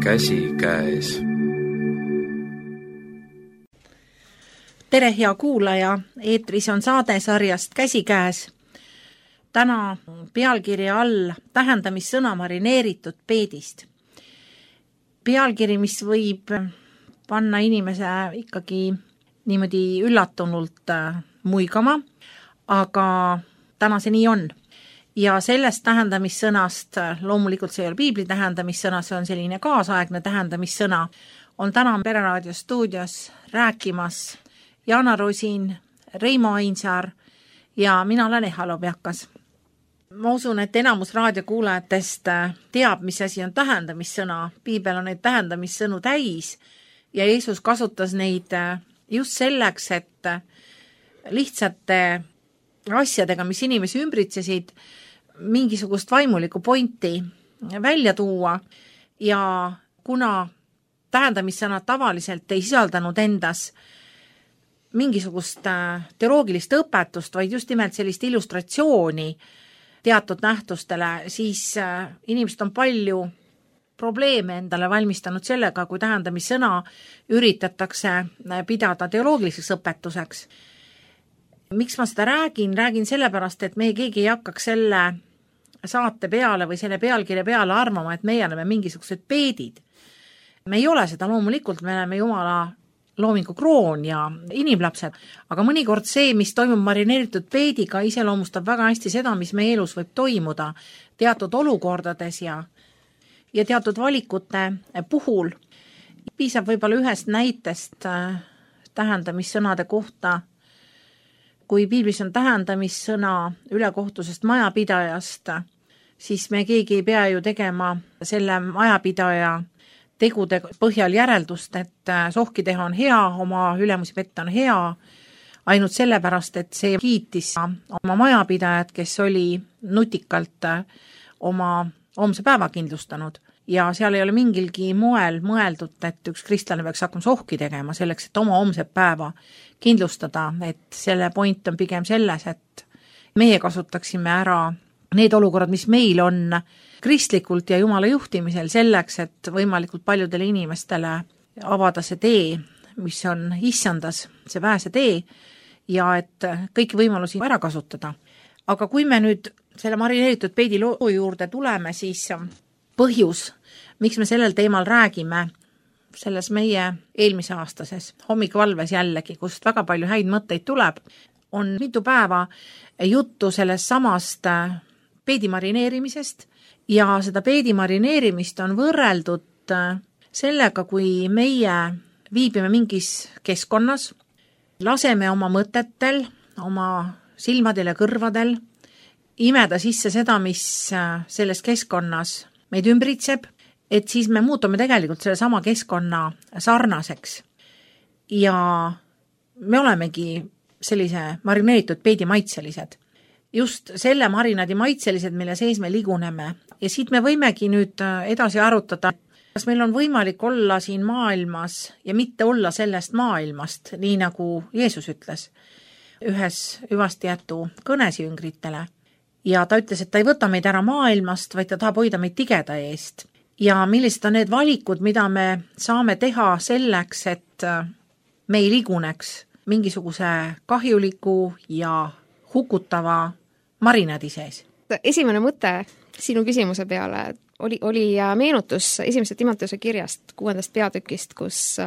käsikäes. Tere, hea kuulaja, eetris on saade sarjast Käsikäes. Täna pealkirja all tähendamissõna marineeritud peedist. Pealkiri, mis võib panna inimese ikkagi niimoodi üllatunult muigama, aga täna see nii on. Ja sellest tähendamissõnast, loomulikult see ei ole piibli tähendamissõna, see on selline kaasaegne tähendamissõna, on täna Pereraadio stuudios rääkimas Jana Rosin, Reimo Ainsaar ja mina olen Eha Lobjakas. Ma usun, et enamus raadiokuulajatest teab, mis asi on tähendamissõna. Piibel on neid tähendamissõnu täis ja Jeesus kasutas neid just selleks, et lihtsate asjadega, mis inimesi ümbritsesid, mingisugust vaimulikku pointi välja tuua ja kuna tähendamissõnad tavaliselt ei sisaldanud endas mingisugust teoloogilist õpetust, vaid just nimelt sellist illustratsiooni teatud nähtustele, siis inimesed on palju probleeme endale valmistanud sellega, kui tähendamissõna üritatakse pidada teoloogiliseks õpetuseks. Miks ma seda räägin? Räägin sellepärast, et meie keegi ei hakkaks selle saate peale või selle pealkirja peale arvama, et meie oleme mingisugused peedid. Me ei ole seda loomulikult, me oleme Jumala loomingu kroon ja inimlapsed, aga mõnikord see, mis toimub marineeritud peediga, iseloomustab väga hästi seda, mis meie elus võib toimuda teatud olukordades ja teatud valikute puhul. Piisab võib-olla ühest näitest tähendamissõnade kohta. Kui piiblis on tähendamissõna ülekohtusest majapidajast, siis me keegi ei pea ju tegema selle majapidaja tegude põhjal järeldust, et sohki teha on hea, oma ülemusi petta on hea, ainult sellepärast, et see kiitis oma majapidajat, kes oli nutikalt oma homse päeva kindlustanud. Ja seal ei ole mingilgi moel mõeldud, et üks kristlane peaks hakkama sohki tegema selleks, et oma homse päeva kindlustada, et selle point on pigem selles, et meie kasutaksime ära need olukorrad, mis meil on kristlikult ja Jumala juhtimisel selleks, et võimalikult paljudele inimestele avada see tee, mis on issandas, see pääse tee ja et kõiki võimalusi ära kasutada. Aga kui me nüüd selle marineeritud peedi loo juurde tuleme, siis põhjus, miks me sellel teemal räägime, selles meie eelmise aastases hommikvalves jällegi, kust väga palju häid mõtteid tuleb, on mitu päeva juttu sellest samast peedi marineerimisest ja seda peedi marineerimist on võrreldud sellega, kui meie viibime mingis keskkonnas, laseme oma mõtetel, oma silmadel ja kõrvadel imeda sisse seda, mis selles keskkonnas meid ümbritseb, et siis me muutume tegelikult selle sama keskkonna sarnaseks. Ja me olemegi sellise marineeritud peedi maitselised. Just selle marinaadi maitselised, mille sees me liguneme. Ja siit me võimegi nüüd edasi arutada, kas meil on võimalik olla siin maailmas ja mitte olla sellest maailmast, nii nagu Jeesus ütles ühes hüvastijätu kõnes jüngritele. Ja ta ütles, et ta ei võta meid ära maailmast, vaid ta tahab hoida meid tigeda eest. Ja millised on need valikud, mida me saame teha selleks, et me ei liguneks mingisuguse kahjuliku ja hukutava marinaadi sees. Esimene mõte sinu küsimuse peale oli meenutus esimese Timoteuse kirjast 6. peatükist, kus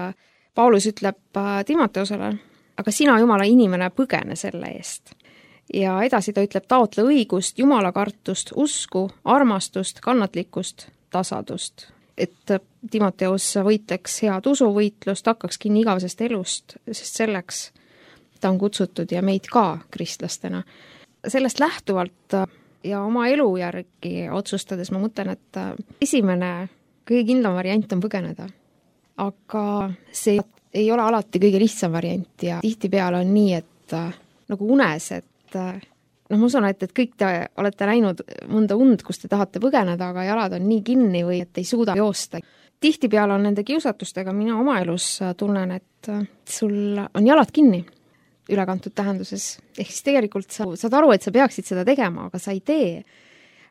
Paulus ütleb Timoteusele, aga sina, Jumala inimene, põgene selle eest. Ja edasi ta ütleb, taotle õigust, Jumala kartust, usku, armastust, kannatlikkust, tasadust. Et Timoteus võitleks head usuvõitlust, hakkaks kinni igavesest elust, sest selleks ta on kutsutud ja meid ka kristlastena. Sellest lähtuvalt ja oma elu järgi otsustades ma mõtlen, et esimene kõige kindlam variant on põgeneda. Aga see ei ole alati kõige lihtsam variant ja tihtipeale on nii, et nagu unes, et ma usun, et kõik te olete näinud mõnda und, kus te tahate põgeneda, aga jalad on nii kinni või et ei suuda joosta. Tihtipeale on nende kiusatustega mina oma elus tunnen, et sul on jalad kinni ülekantud tähenduses. Ehk siis tegelikult sa saad aru, et sa peaksid seda tegema, aga sa ei tee.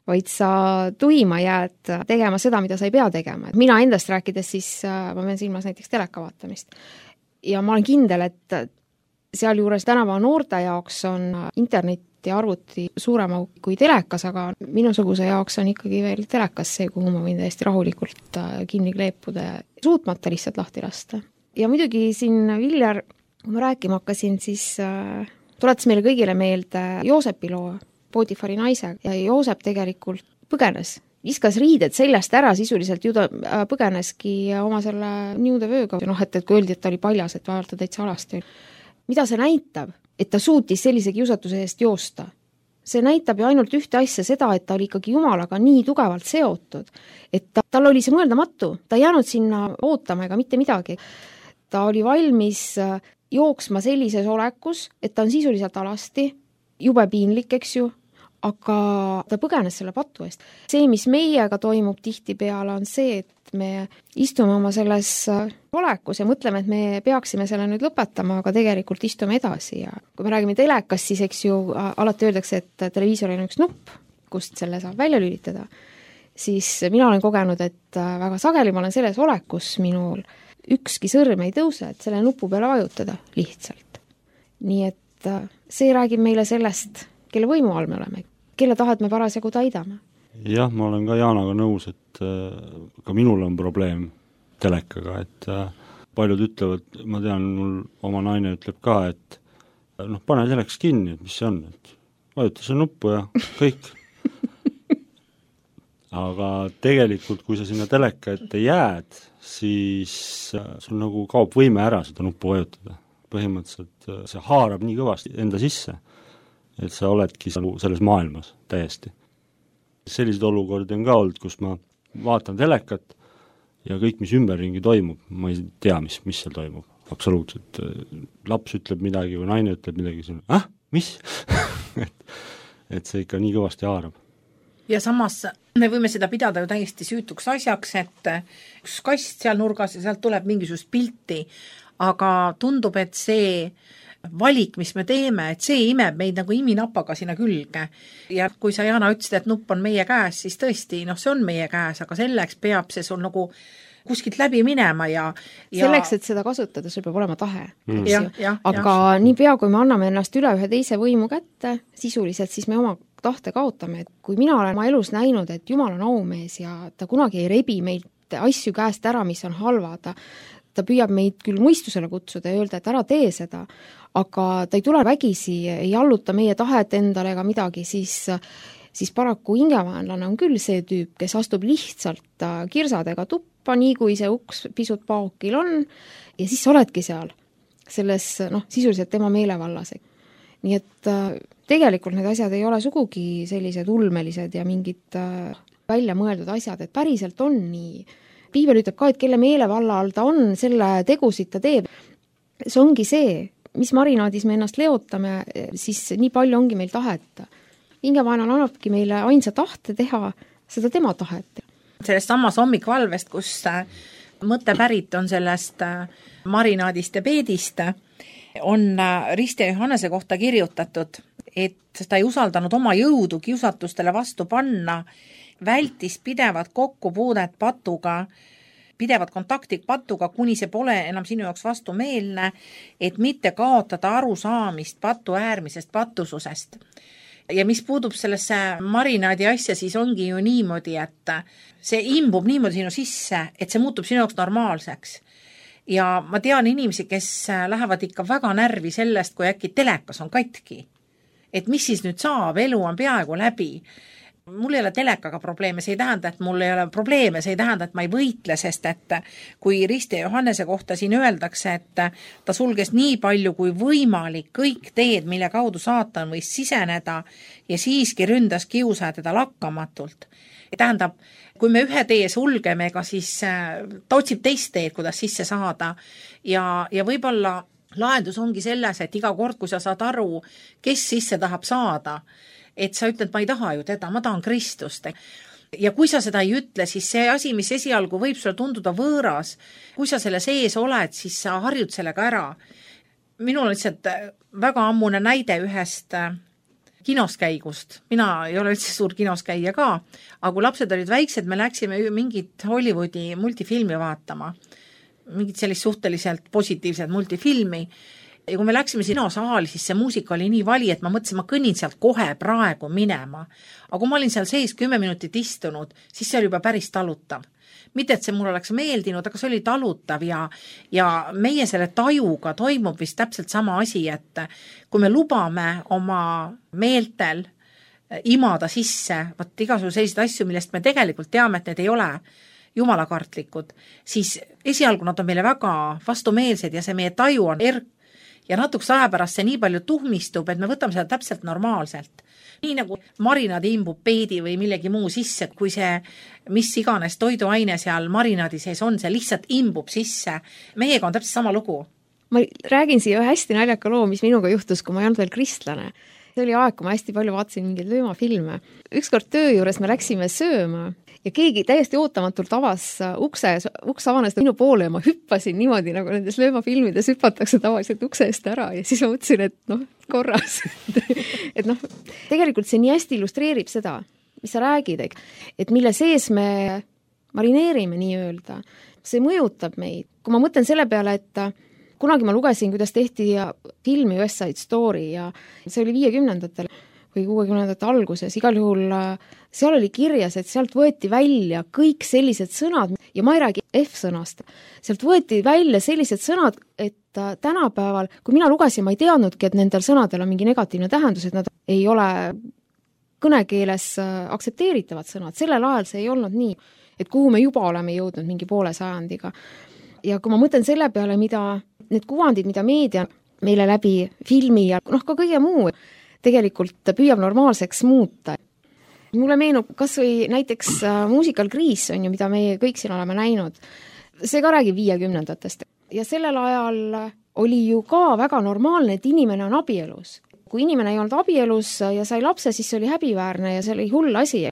vaid sa tuima jääd tegema seda, mida sa ei pea tegema. Mina endast rääkides siis ma pean silmas näiteks teleka vaatamist. Ja ma olen kindel, et sealjuures tänava noorte jaoks on internet ja arvuti suurema kui telekas, aga minusuguse jaoks on ikkagi veel telekas see, kuhu ma võin täiesti rahulikult kinni kleepuda ja suutmata lihtsalt lahti lasta. Ja muidugi siin Viljar, kui ma rääkima hakkasin, siis tuletas meile kõigile meelde Joosepi loo, Potifari naise, ja Joosep tegelikult põgenes, viskas riided seljast ära, sisuliselt ju ta põgeneski oma selle niudevööga, et kui öeldi, et ta oli paljas, et vaadata täitsa alasti. Mida see näitab? Et ta suutis sellise kiusatuse eest joosta. See näitab ju ainult ühte asja, seda, et ta oli ikkagi Jumalaga nii tugevalt seotud, et tal oli see mõeldamatu, ta ei jäänud sinna ootama ega mitte midagi. Ta oli valmis jooksma sellises olekus, et ta on sisuliselt alasti, jube piinlik, eks ju, aga ta põgenes selle patu eest. See, mis meiega toimub tihtipeale, on see, et me istume oma selles olekus ja mõtleme, et me peaksime selle nüüd lõpetama, aga tegelikult istume edasi. Ja kui me räägime telekast, siis eks ju alati öeldakse, et televiisoril on üks nupp, kust selle saab välja lülitada. Siis mina olen kogenud, et väga sageli ma olen selles olekus, minul ükski sõrm ei tõuse, et selle nupu peale vajutada lihtsalt. Nii et see räägib meile sellest, kelle võimu all me oleme, kelle tahet me parasjagu täidame. Jah, ma olen ka Jaanaga nõus, et ka minul on probleem telekaga, et paljud ütlevad, ma tean, mul oma naine ütleb ka, et pane teleks kinni, et mis see on, et vajuta see nuppu ja kõik. Aga tegelikult, kui sa sinna teleka ette jääd, siis sul nagu kaob võime ära seda nuppu vajutada. Põhimõtteliselt see haarab nii kõvasti enda sisse, et sa oledki selles maailmas täiesti. Sellised olukordi on ka olnud, kus ma vaatan telekat ja kõik, mis ümberringi toimub, ma ei tea, mis seal toimub. Absoluutselt. Laps ütleb midagi või naine ütleb midagi, mis? et see ikka nii kõvasti haarab. Ja samas me võime seda pidada ju täiesti süütuks asjaks, et üks kast seal nurgas ja sealt tuleb mingisugust pilti, aga tundub, et see valik, mis me teeme, et see imeb meid nagu iminapaga sinna külge. Ja kui sa, Jana, ütlesid, et nupp on meie käes, siis tõesti, see on meie käes, aga selleks peab see sul nagu kuskilt läbi minema ja selleks, et seda kasutada, sul peab olema tahe. Aga ja. Niipea, kui me anname ennast üle ühe teise võimu kätte, sisuliselt siis me oma tahte kaotame. Et kui mina olen oma elus näinud, et Jumal on aumees ja ta kunagi ei rebi meid asju käest ära, mis on halva, ta püüab meid küll mõistusele kutsuda ja öelda, et ära tee seda, aga ta ei tule vägisi, ei alluta meie tahet endale ega midagi, siis paraku hingevaenlane on küll see tüüp, kes astub lihtsalt kirsadega tuppa, nii kui see uks pisut paokil on, ja siis sa oledki seal, selles sisuliselt tema meelevallas. Nii et tegelikult need asjad ei ole sugugi sellised ulmelised ja mingid välja mõeldud asjad, et päriselt on nii. Piibel ütleb ka, et kelle meelevalla all ta on, selle tegusid ta teeb. See ongi see, mis marinaadis me ennast leotame, siis nii palju ongi meil tahet. Hingevaenal annabki meile ainsa tahte teha seda tema tahet. Sellest samas hommikvalvest, kus mõte pärit on sellest marinaadist ja peedist, on Risti Johannese kohta kirjutatud, et ta ei usaldanud oma jõudu kiusatustele vastu panna, vältis pidevat kokkupuudet patuga, pidevat kontakti patuga, kuni see pole enam sinu jaoks vastumeelne, et mitte kaotada arusaamist patu äärmisest patususest. Ja mis puudub sellesse marinaadi asja, siis ongi ju niimoodi, et see imbub niimoodi sinu sisse, et see muutub sinu jaoks normaalseks. Ja ma tean inimesi, kes lähevad ikka väga närvi sellest, kui äkki telekas on katki. Et mis siis nüüd saab, elu on peaaegu läbi. Mul ei ole telekaga probleeme, see ei tähenda, et mul ei ole probleeme, see ei tähenda, et ma ei võitle, sest et kui Risti Johannese kohta siin öeldakse, et ta sulges nii palju kui võimalik kõik teed, mille kaudu saatan võis siseneda ja siiski ründas kiusa teda lakkamatult. Tähendab, kui me ühe tee sulgeme, ega siis ta otsib teist teed, kuidas sisse saada ja võib-olla lahendus ongi selles, et iga kord, kui sa saad aru, kes sisse tahab saada, et sa ütled, ma ei taha ju teda, ma tahan Kristust. Ja kui sa seda ei ütle, siis see asi, mis esialgu võib sulle tunduda võõras, kui sa selle sees oled, siis sa harjud sellega ära. Minul on lihtsalt väga ammune näide ühest kinoskäigust. Mina ei ole üldse suur kinoskäija ka, aga kui lapsed olid väiksed, me läksime mingit Hollywoodi multifilmi vaatama, mingit sellist suhteliselt positiivset multifilmi. Ja kui me läksime kinosaali, siis see muusika oli nii vali, et ma mõtlesin, ma kõnnin sealt kohe praegu minema. Aga kui ma olin seal sees 10 minutit istunud, siis see oli juba päris talutav. Mitte, et see mul oleks meeldinud, aga see oli talutav ja meie selle tajuga toimub vist täpselt sama asi, et kui me lubame oma meeltel imada sisse igasuguse selliseid asju, millest me tegelikult teame, et need ei ole jumalakartlikud, siis esialgu nad on meile väga vastumeelsed ja see meie taju on ja natuks aja pärast see nii palju tuhmistub, et me võtame seda täpselt normaalselt. Nii nagu marinaadi imbub peedi või millegi muu sisse, kui see mis iganes toiduaine seal marinaadi sees on, see lihtsalt imbub sisse. Meiega on täpselt sama lugu. Ma räägin siia ühe hästi naljaka loo, mis minuga juhtus, kui ma ei olnud veel kristlane. See oli aeg, kui ma hästi palju vaatasin mingeid löömafilme. Ükskord töö juures me läksime sööma ja keegi täiesti ootamatult avas uks avanes minu poole ja ma hüppasin niimoodi, nagu nendes löömafilmides hüpatakse tavaliselt ukse eest ära ja siis ma mõtlesin, et korras. et tegelikult see nii hästi illustreerib seda, mis sa räägid, et mille sees me marineerime nii-öelda. See mõjutab meid. Kui ma mõtlen selle peale, et kunagi ma lugesin, kuidas tehti filmi West Side Story ja see oli 50-ndatel või 60-ndate alguses. Igal juhul seal oli kirjas, et sealt võeti välja kõik sellised sõnad ja ma ei räägi F-sõnast. Sealt võeti välja sellised sõnad, et tänapäeval, kui mina lugesin, ma ei teadnudki, et nendel sõnadel on mingi negatiivne tähendus, et nad ei ole kõnekeeles aktsepteeritavad sõnad. Sellel ajal see ei olnud nii, et kuhu me juba oleme jõudnud mingi poole sajandiga. Ja kui ma mõtlen selle peale, mida need kuvandid, mida meedia meile läbi filmi ja ka kõige muu tegelikult püüab normaalseks muuta. Mulle meenub kas või näiteks Musical Grease on ju, mida me kõik siin oleme näinud. See ka räägib 50-ndatest. Ja sellel ajal oli ju ka väga normaalne, et inimene on abielus. Kui inimene ei olnud abielus ja sai lapse, siis see oli häbiväärne ja see oli hull asi.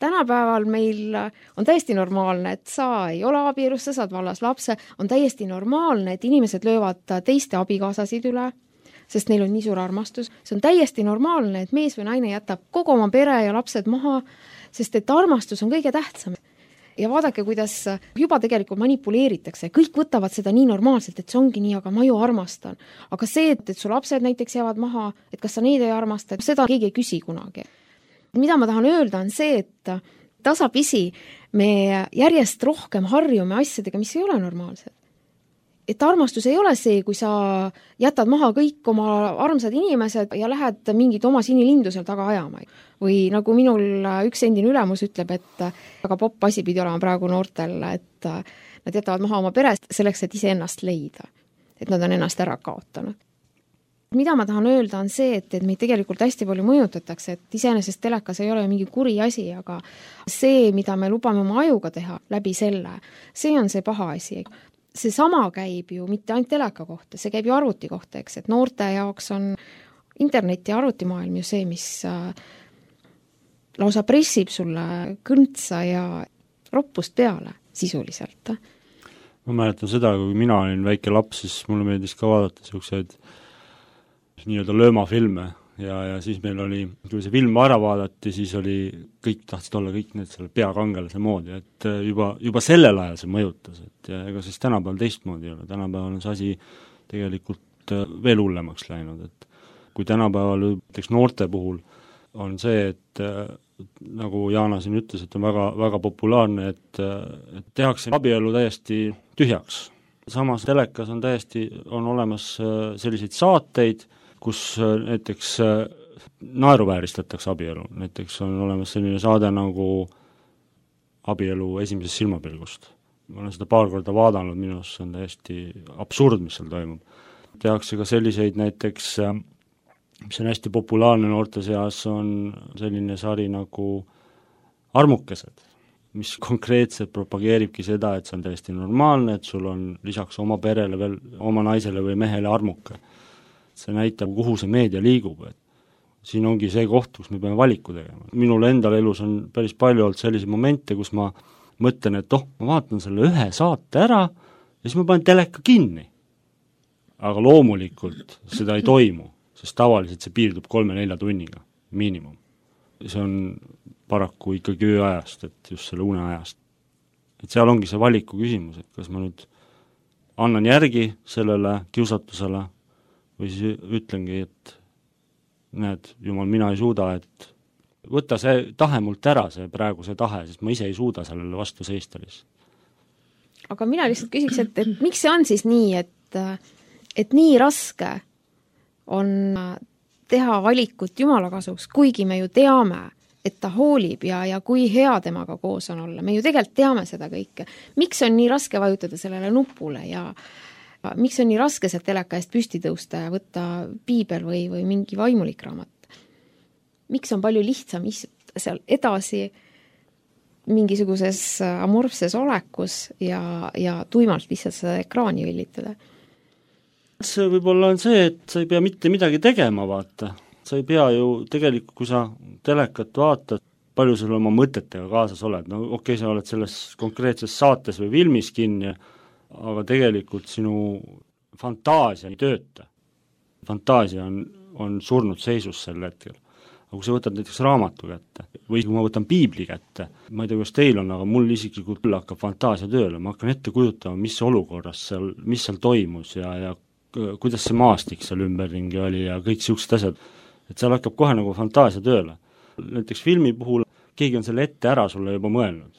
Tänapäeval meil on täiesti normaalne, et sa ei ole abielus, sa saad vallas lapse, on täiesti normaalne, et inimesed löövad teiste abikaasasid üle, sest neil on nii suur armastus. See on täiesti normaalne, et mees või naine jätab kogu oma pere ja lapsed maha, sest et armastus on kõige tähtsam. Ja vaadake, kuidas juba tegelikult manipuleeritakse. Kõik võtavad seda nii normaalselt, et see ongi nii, aga ma ju armastan. Aga see, et su lapsed näiteks jäävad maha, et kas sa neid ei armasta, seda keegi ei küsi kunagi. Mida ma tahan öelda on see, et tasapisi me järjest rohkem harjume asjadega, mis ei ole normaalsed. Et armastus ei ole see, kui sa jätad maha kõik oma armsad inimesed ja lähed mingid oma sinilindu seal taga ajama. Või nagu minul üks endine ülemus ütleb, et väga popp asi pidi olema praegu noortel, et nad jätavad maha oma perest selleks, et ise ennast leida. Et nad on ennast ära kaotanud. Mida ma tahan öelda on see, et meid tegelikult hästi palju mõjutatakse, et iseenesest telekas ei ole mingi kuri asi, aga see, mida me lubame oma ajuga teha läbi selle, see on see paha asi. See sama käib ju mitte ainult teleka kohta, see käib ju arvuti kohta, eks, et noorte jaoks on interneti ja arvutimaailm ju see, mis lausa pressib sulle kõntsa ja roppust peale sisuliselt. Ma mäletan seda, kui mina olin väike laps, siis mulle meeldis ka vaadata selliseid nii-öelda löömafilme ja siis meil oli, kui see film ära vaadati, siis oli, kõik tahtsid olla kõik need selle peakangelase moodi, et juba sellel ajal see mõjutas, et ja ega siis tänapäeval teistmoodi ei ole, tänapäeval on see asi tegelikult veel hullemaks läinud, et kui tänapäeval näiteks noorte puhul on see, et nagu Jaana siin ütles, et on väga, väga populaarne, et tehakse abielu täiesti tühjaks. Samas telekas on olemas selliseid saateid, kus näiteks naeruvääristatakse abielu. Näiteks on olemas selline saade nagu abielu esimesest silmapilgust. Ma olen seda paar korda vaadanud, minu arust see on täiesti absurd, mis seal toimub. Tehakse ka selliseid näiteks, mis on hästi populaarne noorte seas, on selline sari nagu Armukesed, mis konkreetselt propageeribki seda, et see on täiesti normaalne, et sul on lisaks oma perele veel oma naisele või mehele armuke. See näitab, kuhu see meedia liigub, et siin ongi see koht, kus me peame valiku tegema. Minul endal elus on päris palju olnud selliseid momente, kus ma mõtlen, et ma vaatan selle ühe saate ära ja siis ma panen teleka kinni. Aga loomulikult seda ei toimu, sest tavaliselt see piirdub 3-4 tunniga. miinimum. See on paraku ikkagi ööajast, et just selle uneajast. Et seal ongi see valiku küsimus, et kas ma nüüd annan järgi sellele kiusatusele või siis ütlengi, et näed, jumal, mina ei suuda, et võta see tahe mult ära, praegu see tahe, sest ma ise ei suuda sellele vastu seista lihtsalt. Aga mina lihtsalt küsiks, et miks see on siis nii, et nii raske on teha valikut Jumala kasuks, kuigi me ju teame, et ta hoolib ja kui hea temaga koos on olla. Me ju tegelikult teame seda kõike. Miks on nii raske vajutada sellele nupule ja miks on nii raske see teleka eest püsti tõusta ja võtta piibel või mingi vaimulik raamat? Miks on palju lihtsam istuda seal edasi mingisuguses amorfses olekus ja tuimalt lihtsalt seda ekraani villitada? See võib-olla on see, et sa ei pea mitte midagi tegema, vaata. Sa ei pea ju tegelikult, kui sa telekat vaatad, palju sul oma mõtetega kaasas oled. No okei, sa oled selles konkreetses saates või filmis kinni, aga tegelikult sinu fantaasia ei tööta. Fantaasia on surnud seisus sel hetkel. Aga kui sa võtad näiteks raamatu kätte või kui ma võtan piibli kätte, ma ei tea, kuidas teil on, aga mul isiklikult küll hakkab fantaasia tööle, ma hakkan ette kujutama, mis olukorras seal, mis seal toimus ja kuidas see maastik seal ümberringi oli ja kõik siuksed asjad, et seal hakkab kohe nagu fantaasia tööle. Näiteks filmi puhul keegi on selle ette ära sulle juba mõelnud,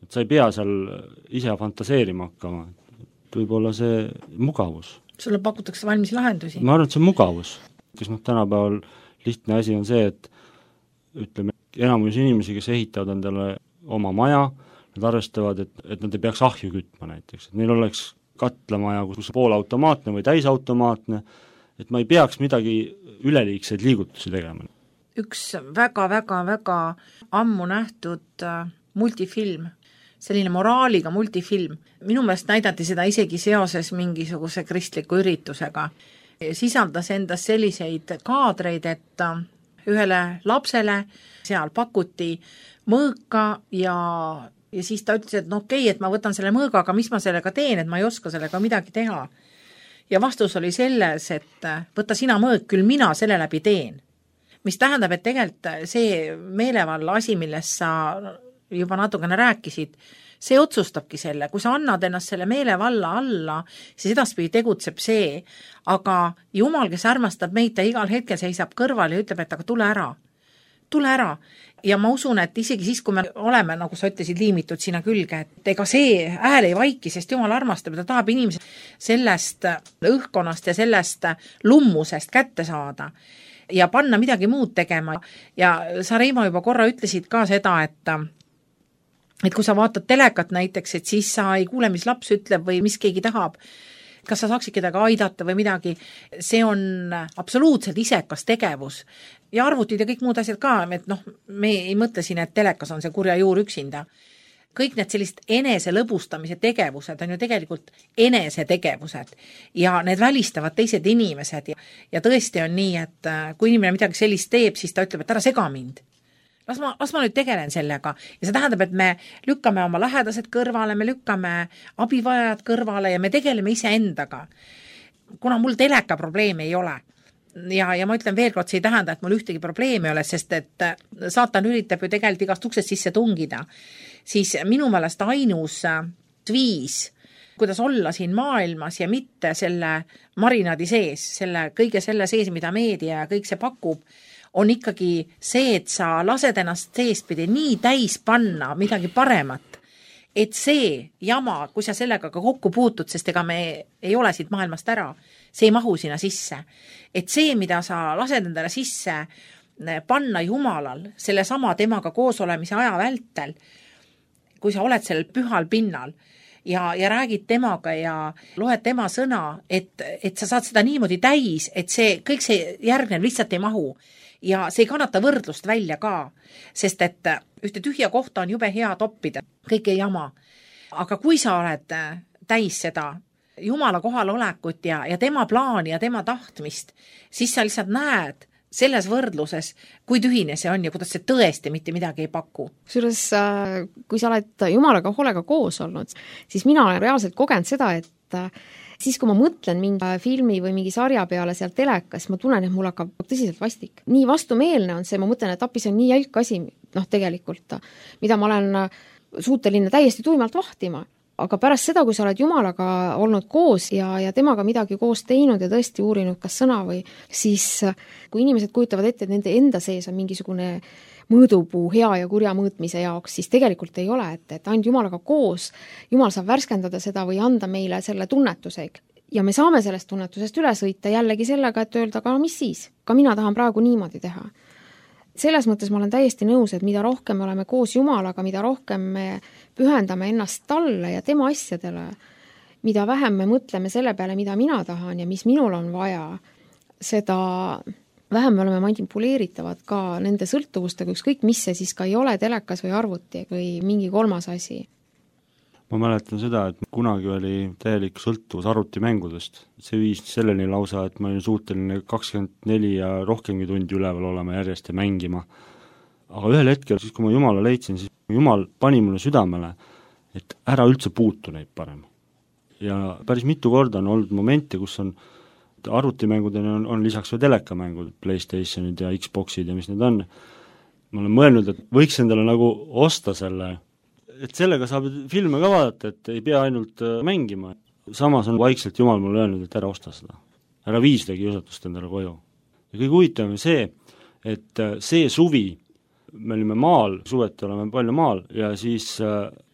et sa ei pea seal ise fantaseerima hakkama, võib-olla see mugavus. Sulle pakutakse valmis lahendusi? Ma arvan, et see on mugavus, kes tänapäeval lihtne asi on see, et ütleme, enamus inimesi, kes ehitavad endale oma maja, nad arvestavad, et nad ei peaks ahju kütma näiteks, et neil oleks katlamaja, kus poolautomaatne või täisautomaatne, et ma ei peaks midagi üleliigseid liigutusi tegema. Üks väga ammu nähtud multifilm, selline moraaliga multifilm. Minu meelest näidati seda isegi seoses mingisuguse kristliku üritusega. Sisaldas endas selliseid kaadreid, et ühele lapsele seal pakuti mõõka ja siis ta ütles, et no okei, et ma võtan selle mõõga, aga mis ma sellega teen, et ma ei oska sellega midagi teha. Ja vastus oli selles, et võta sina mõõk, küll mina selle läbi teen. Mis tähendab, et tegelikult see meelevalla asi, millest sa juba natukene rääkisid, see otsustabki selle, kui sa annad ennast selle meelevalla alla, siis edaspidi tegutseb see, aga Jumal, kes armastab meid, ta igal hetkel seisab kõrval ja ütleb, et aga tule ära. Ja ma usun, et isegi siis, kui me oleme, nagu sa ütlesid, liimitud sinna külge, et ega see hääl ei vaiki, sest Jumal armastab, ta tahab inimesi sellest õhkkonnast ja sellest lummusest kätte saada ja panna midagi muud tegema. Ja sa, Reimo, juba korra ütlesid ka seda, et kui sa vaatad telekat näiteks, et siis sa ei kuule, mis laps ütleb või mis keegi tahab, kas sa saaksid kedagi aidata või midagi, see on absoluutselt isekas tegevus. Ja arvutid ja kõik muud asjad ka, et me ei mõtle siin, et telekas on see kurja juur üksinda. Kõik need sellist enese lõbustamise tegevused on ju tegelikult enese tegevused ja need välistavad teised inimesed ja tõesti on nii, et kui inimene midagi sellist teeb, siis ta ütleb, et ära sega mind. Las ma nüüd tegelen sellega ja see tähendab, et me lükkame oma lähedased kõrvale, me lükkame abivajajad kõrvale ja me tegeleme iseendaga. Kuna mul teleka probleemi ei ole ja ma ütlen veel kord, see ei tähenda, et mul ühtegi probleemi ei ole, sest et saatan üritab ju tegelikult igast uksest sisse tungida, siis minu meelest ainus viis, kuidas olla siin maailmas ja mitte selle marinaadi sees, kõige selle sees, mida meedia ja kõik see pakub, on ikkagi see, et sa lased ennast seespidi nii täis panna midagi paremat, et see jama, kui sa sellega ka kokku puutud, sest ega me ei ole siit maailmast ära, see ei mahu sinna sisse. Et see, mida sa lased endale sisse panna Jumalal, selle sama temaga koos olemise aja vältel, kui sa oled sellel pühal pinnal ja räägid temaga ja loed tema sõna, et sa saad seda niimoodi täis, et kõik see järgnev lihtsalt ei mahu. Ja see ei kannata võrdlust välja ka, sest et ühte tühja kohta on jube hea toppida, kõik ei jama. Aga kui sa oled täis seda Jumala kohalolekut ja tema plaani ja tema tahtmist, siis sa lihtsalt näed selles võrdluses, kui tühine see on ja kuidas see tõesti mitte midagi ei paku. Kusjuures, kui sa oled Jumalaga hoolega koos olnud, siis mina olen reaalselt kogenud seda, et et siis, kui ma mõtlen mingi filmi või mingi sarja peale seal telekas, ma tunnen, et mul hakkab tõsiselt vastik. Nii vastumeelne on see, ma mõtlen, et appi see on nii jälk asi, tegelikult, mida ma olen suuteline täiesti tuimalt vahtima. Aga pärast seda, kui sa oled Jumalaga olnud koos ja temaga midagi koos teinud ja tõesti uurinud kas sõna või, siis kui inimesed kujutavad ette, et nende enda sees on mingisugune mõõdupuu hea ja kurja mõõtmise jaoks, siis tegelikult ei ole, et ainult Jumalaga koos, Jumal saab värskendada seda või anda meile selle tunnetuse. Ja me saame sellest tunnetusest üle sõita jällegi sellega, et öelda, aga mis siis? Ka mina tahan praegu niimoodi teha. Selles mõttes ma olen täiesti nõus, et mida rohkem me oleme koos Jumalaga, mida rohkem me pühendame ennast talle ja tema asjadele, mida vähem me mõtleme selle peale, mida mina tahan ja mis minul on vaja, seda vähem me oleme manipuleeritavad ka nende sõltuvustega, ükskõik mis see siis ka ei ole, telekas või arvuti või mingi kolmas asi. Ma mäletan seda, et kunagi oli täielik sõltuvus arvutimängudest. See viis selleni lausa, et ma olin suuteline 24 ja rohkemgi tundi üleval olema järjest ja mängima. Aga ühel hetkel, siis kui ma Jumala leidsin, siis Jumal pani mulle südamele, et ära üldse puutu neid parem. Ja päris mitu korda on olnud momente, kus on arvutimängudeni on lisaks või telekamängud, PlayStationid ja Xboxid ja mis need on. Ma olen mõelnud, et võiks endale nagu osta selle, et sellega saab filme ka vaadata, et ei pea ainult mängima. Samas on vaikselt Jumal mulle öelnud, et ära osta seda. Ära vii seda kiusatust endale koju. Ja kõige huvitavam on see, et see suvi, me olime maal, suveti oleme palju maal, ja siis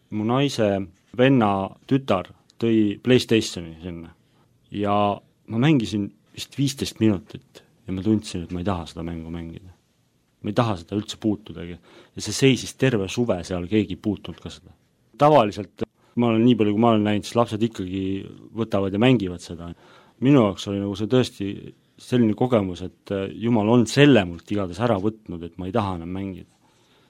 mu naise venna tütar tõi PlayStationi sinna. Ja ma mängisin vist 15 minutit ja ma tundsin, et ma ei taha seda mängu mängida. Ma ei taha seda üldse puutudagi. Ja see seisis terve suve seal, keegi ei puutunud ka seda. Tavaliselt, ma olen nii palju, kui ma olen näinud, siis lapsed ikkagi võtavad ja mängivad seda. Minu jaoks oli nagu see tõesti selline kogemus, et Jumal on selle mult igades ära võtnud, et ma ei taha enam mängida.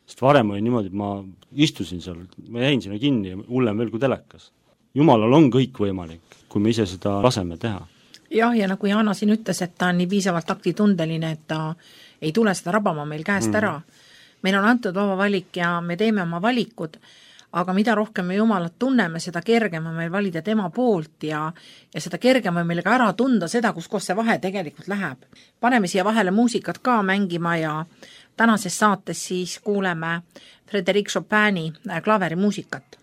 Sest varem oli niimoodi, et ma istusin seal, ma jäin sinna kinni ja hullem veel kui telekas. Jumalal on kõik võimalik, kui me ise seda laseme teha. Jah, ja nagu Jaana siin ütles, et ta on nii piisavalt aktitundeline, et ta ei tule seda rabama meil käest ära. Meil on antud vaba valik ja me teeme oma valikud, aga mida rohkem me Jumalat tunneme, seda kergem on meil valida tema poolt ja seda kergem on meil ka ära tunda seda, kus see vahe tegelikult läheb. Paneme siia vahele muusikat ka mängima ja tänases saates siis kuuleme Frédéric Chopini klaverimuusikat.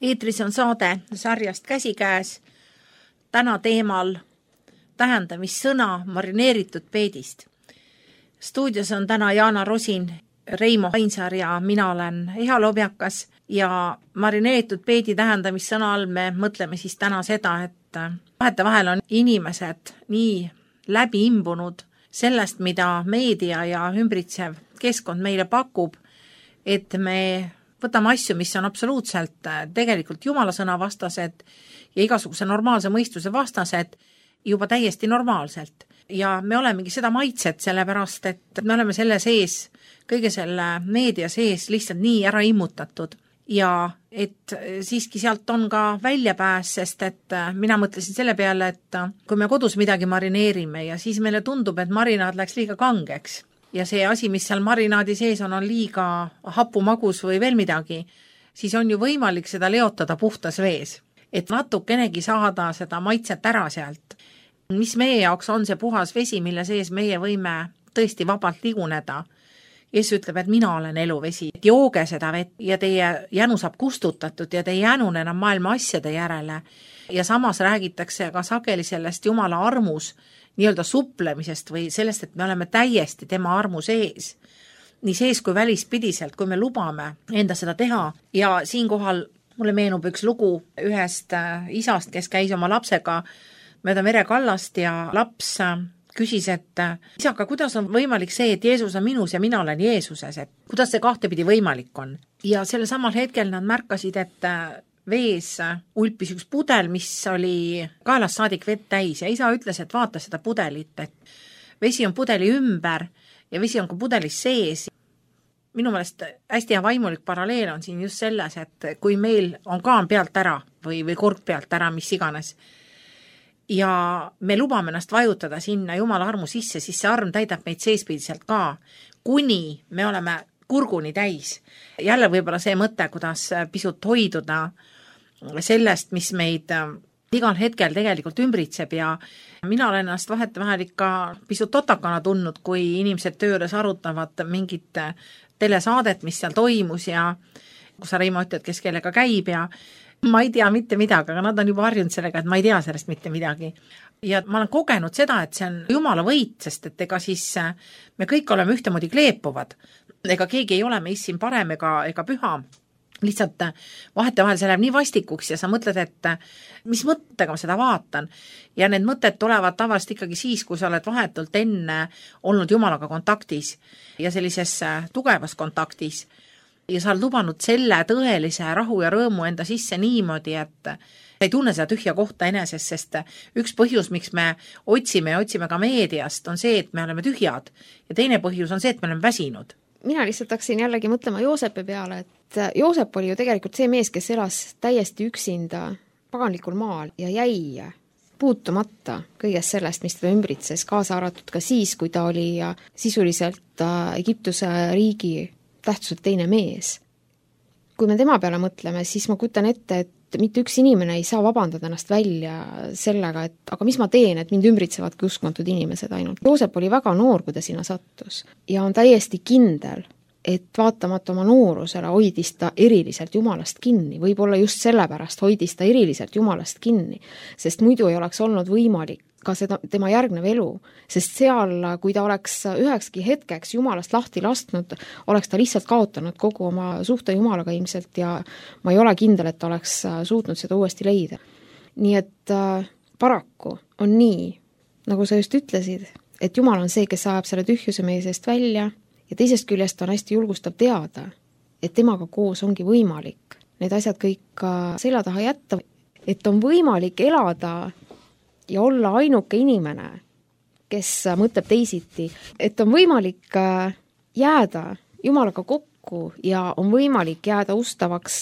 eetris on saade sarjast Käsikäes, täna teemal tähendamissõna marineeritud peedist. Stuudios on täna Jaana Rosin, Reimo Ainsaar ja mina olen Eha Lobjakas ja marineeritud peedi tähendamissõna all me mõtleme siis täna seda, et vahetevahel on inimesed nii läbi imbunud sellest, mida meedia ja ümbritsev keskkond meile pakub, et me võtame asju, mis on absoluutselt tegelikult Jumala sõna vastased ja igasuguse normaalse mõistuse vastased juba täiesti normaalselt. Ja me olemegi seda maitset, sellepärast et me oleme selle sees, kõige selle meedia sees lihtsalt nii ära immutatud. Ja et siiski sealt on ka väljapääs, sest et mina mõtlesin selle peale, et kui me kodus midagi marineerime ja siis meile tundub, et marinaad läks liiga kangeks ja see asi, mis seal marinaadi sees on liiga hapumagus või veel midagi, siis on ju võimalik seda leotada puhtas vees, et natukenegi saada seda maitset ära sealt. Mis meie jaoks on see puhas vesi, mille sees meie võime tõesti vabalt liguneda. Jeesus ütleb, et mina olen eluvesi, et jooge seda vett ja teie jänu saab kustutatud ja te ei jänune enam maailma asjade järele. Ja samas räägitakse ka sageli sellest Jumala armus nii-öelda suplemisest või sellest, et me oleme täiesti tema armu sees. Nii sees kui välispidiselt, kui me lubame enda seda teha. Ja siinkohal mulle meenub üks lugu ühest isast, kes käis oma lapsega mööda merekallast ja laps küsis, et isaka, kuidas on võimalik see, et Jeesus on minus ja mina olen Jeesuses, et kuidas see kahtepidi võimalik on. Ja selle samal hetkel nad märkasid, et vees ulpis üks pudel, mis oli kaelast saadik vett täis ja isa ütles, et vaata seda pudelit, et vesi on pudeli ümber ja vesi on ka pudelis sees. Minu meelest hästi hea vaimulik paralleel on siin just selles, et kui meil on kaan pealt ära või kork pealt ära, mis iganes, ja me lubame ennast vajutada sinna Jumala armu sisse, siis see arm täidab meid seespidiselt ka, kuni me oleme kurguni täis. Jälle võib-olla see mõte, kuidas pisut hoiduda sellest, mis meid igal hetkel tegelikult ümbritseb ja mina olen ennast vahetevahel ikka pisut totakana tundnud, kui inimesed tööles arutavad mingit telesaadet, mis seal toimus ja kui sa, Reimo, ütled, kes kellega käib ja ma ei tea mitte midagi, aga nad on juba harjunud sellega, et ma ei tea sellest mitte midagi. Ja ma olen kogenud seda, et see on Jumala võit, sest et ega siis me kõik oleme ühtemoodi kleepuvad. Ega keegi ei ole meist siin parem ega püha. Lihtsalt vahetevahel see läheb nii vastikuks ja sa mõtled, et mis mõttega ma seda vaatan. Ja need mõtted tulevad tavaliselt ikkagi siis, kui sa oled vahetult enne olnud Jumalaga kontaktis ja sellises tugevas kontaktis. Ja sa oled lubanud selle tõelise rahu ja rõõmu enda sisse niimoodi, et ei tunne seda tühja kohta enesest, sest üks põhjus, miks me otsime ka meediast, on see, et me oleme tühjad ja teine põhjus on see, et me oleme väsinud. Mina lihtsalt hakkasin jällegi mõtlema Joosepi peale, et Joosep oli ju tegelikult see mees, kes elas täiesti üksinda paganlikul maal ja jäi puutumata kõigest sellest, mis teda ümbritses, kaasa arvatud ka siis, kui ta oli sisuliselt Egiptuse riigi tähtsuselt teine mees. Kui me tema peale mõtleme, siis ma kujutan ette, et mitte üks inimene ei saa vabandada ennast välja sellega, et aga mis ma teen, et mind ümbritsevadki uskmatud inimesed ainult. Joosep oli väga noor, kui ta sinna sattus ja on täiesti kindel, et vaatamata oma noorusele hoidis ta eriliselt Jumalast kinni, võib-olla just sellepärast hoidis ta eriliselt Jumalast kinni, sest muidu ei oleks olnud võimalik ka seda tema järgnev elu, sest seal, kui ta oleks ühekski hetkeks Jumalast lahti lastnud, oleks ta lihtsalt kaotanud kogu oma suhte Jumalaga ilmselt ja ma ei ole kindel, et ta oleks suutnud seda uuesti leida. Nii et paraku on nii, nagu sa just ütlesid, et Jumal on see, kes ajab selle tühjuse meie seest välja ja teisest küljest on hästi julgustav teada, et temaga koos ongi võimalik need asjad kõik selja taha jätta, et on võimalik elada ja olla ainuke inimene, kes mõtleb teisiti, et on võimalik jääda Jumalaga kokku ja on võimalik jääda ustavaks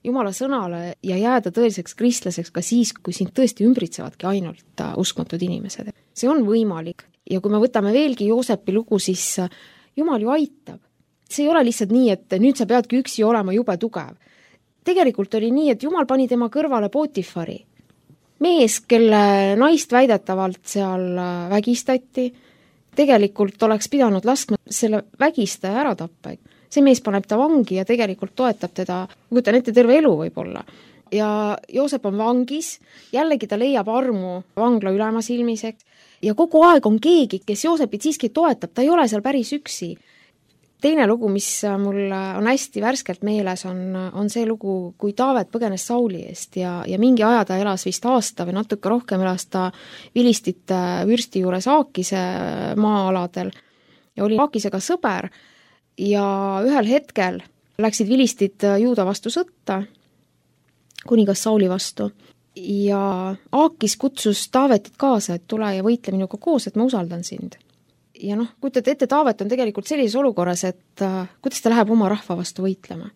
Jumala sõnale ja jääda tõeliseks kristlaseks ka siis, kui sind tõesti ümbritsevadki ainult uskmatud inimesed. See on võimalik ja kui me võtame veelgi Joosepi lugu, siis Jumal ju aitab. See ei ole lihtsalt nii, et nüüd sa peadki üksi olema jube tugev. Tegelikult oli nii, et Jumal pani tema kõrvale Potifari. Mees, kelle naist väidetavalt seal vägistati, tegelikult oleks pidanud laskma selle vägistaja ära tappa. see mees paneb ta vangi ja tegelikult toetab teda, kujutan ette, terve elu võib-olla. Ja Joosep on vangis, jällegi ta leiab armu vangla ülema silmis, ja kogu aeg on keegi, kes Joosepit siiski toetab, ta ei ole seal päris üksi. Teine lugu, mis mul on hästi värskelt meeles, on see lugu, kui Taavet põgenes Sauli eest ja mingi aja ta elas vist aasta või natuke rohkem elas ta Vilistite vürsti juures Aakise maa-aladel ja oli Aakisega sõber ja ühel hetkel läksid Vilistid Juuda vastu sõtta, kuningas Sauli vastu, ja Aakis kutsus Taavetit kaasa, et tule ja võitle minuga koos, et ma usaldan sind. Ja kujutad ette, Taavet on tegelikult sellises olukorras, et kuidas ta läheb oma rahva vastu võitlema.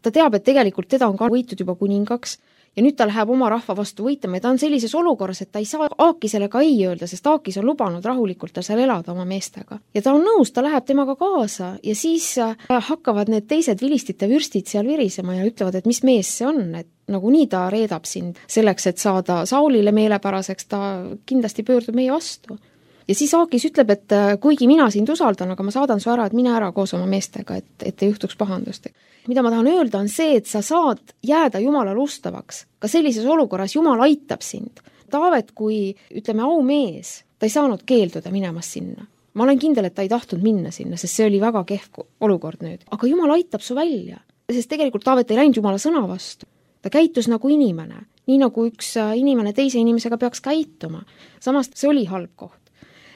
Ta teab, et tegelikult teda on ka võitud juba kuningaks ja nüüd ta läheb oma rahva vastu võitlema ja ta on sellises olukorras, et ta ei saa Aakisele ka ei öelda, sest Aakis on lubanud rahulikult tal seal elada oma meestega. Ja ta on nõus, ta läheb temaga kaasa ja siis hakkavad need teised Vilistite vürstid seal virisema ja ütlevad, et mis mees see on, et nagunii ta reedab sind selleks, et saada Saulile meelepäraseks, ta kindlasti pöördub meie vastu. Ja siis Aakis ütleb, et kuigi mina sind usaldan, aga ma saadan su ära, et mine ära koos oma meestega, et ei juhtuks pahandust. Mida ma tahan öelda on see, et sa saad jääda Jumalale ustavaks. Ka sellises olukorras Jumal aitab sind. Taavet, kui ütleme aumees, ta ei saanud keelduda minemas sinna. Ma olen kindel, et ta ei tahtnud minna sinna, sest see oli väga kehv olukord nüüd. Aga Jumal aitab su välja, sest tegelikult Taavet ei läinud Jumala sõna vastu. Ta käitus nagu inimene, nii nagu üks inimene teise inimesega peaks käituma. Samas see oli halb koht.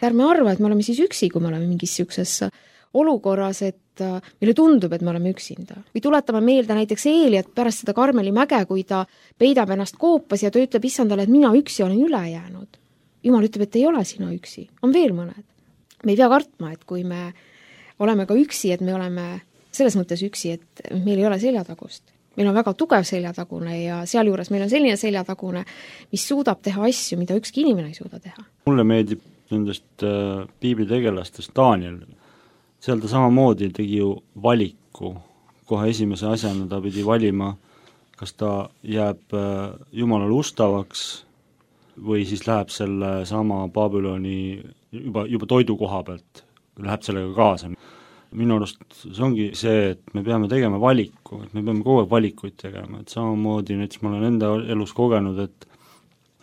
Ärme arva, et me oleme siis üksi, kui me oleme mingis siukses olukorras, et meile tundub, et me oleme üksinda. Või tuletame meelde näiteks Eeliat pärast seda Karmeli mäge, kui ta peidab ennast koopas ja ta ütleb issandale, et mina üksi olen üle jäänud. Jumal ütleb, et ei ole sina üksi, on veel mõned. Me ei pea kartma, et kui me oleme ka üksi, et me oleme selles mõttes üksi, et meil ei ole seljatagust. Meil on väga tugev seljatagune ja sealjuures meil on selline seljatagune, mis suudab teha asju, mida ükski inimene ei suuda teha. Mulle meeldib nendest piiblitegelastest Daniel. Seal ta samamoodi tegi ju valiku. Kohe esimese asjana ta pidi valima, kas ta jääb Jumalale ustavaks või siis läheb selle sama Babyloni juba toidu koha pealt, läheb sellega kaasa. Minu arust see ongi see, et me peame tegema valiku, et me peame kogu aeg valikuid tegema, et samamoodi näiteks ma olen enda elus kogenud,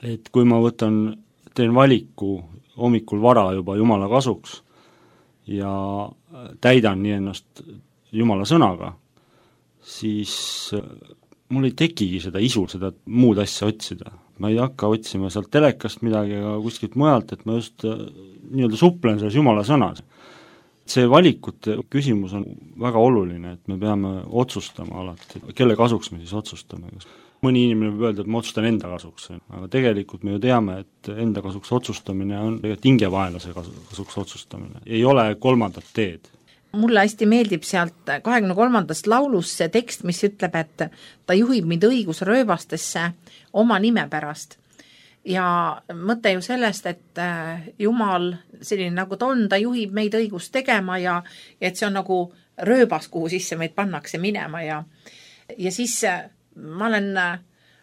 et kui ma teen valiku hommikul vara juba Jumala kasuks ja täidan nii ennast Jumala sõnaga, siis mul ei tekigi seda isu, seda muud asja otsida. Ma ei hakka otsima sealt telekast midagi ega kuskilt mujalt, et ma just nii-öelda suplen selles Jumala sõnas. See valikute küsimus on väga oluline, et me peame otsustama alati, kelle kasuks me siis otsustame. Mõni inimene võib öelda, et ma otsustan enda kasuks, aga tegelikult me ju teame, et enda kasuks otsustamine on tegelikult hingevaenlase kasuks otsustamine. Ei ole kolmandat teed. Mulle hästi meeldib sealt 23. laulus see tekst, mis ütleb, et ta juhib mind õigusrööbastesse oma nime pärast. Ja mõte ju sellest, et Jumal selline nagu ta on, ta juhib meid õigust tegema ja et see on nagu rööbas, kuhu sisse meid pannakse minema ja siis ma olen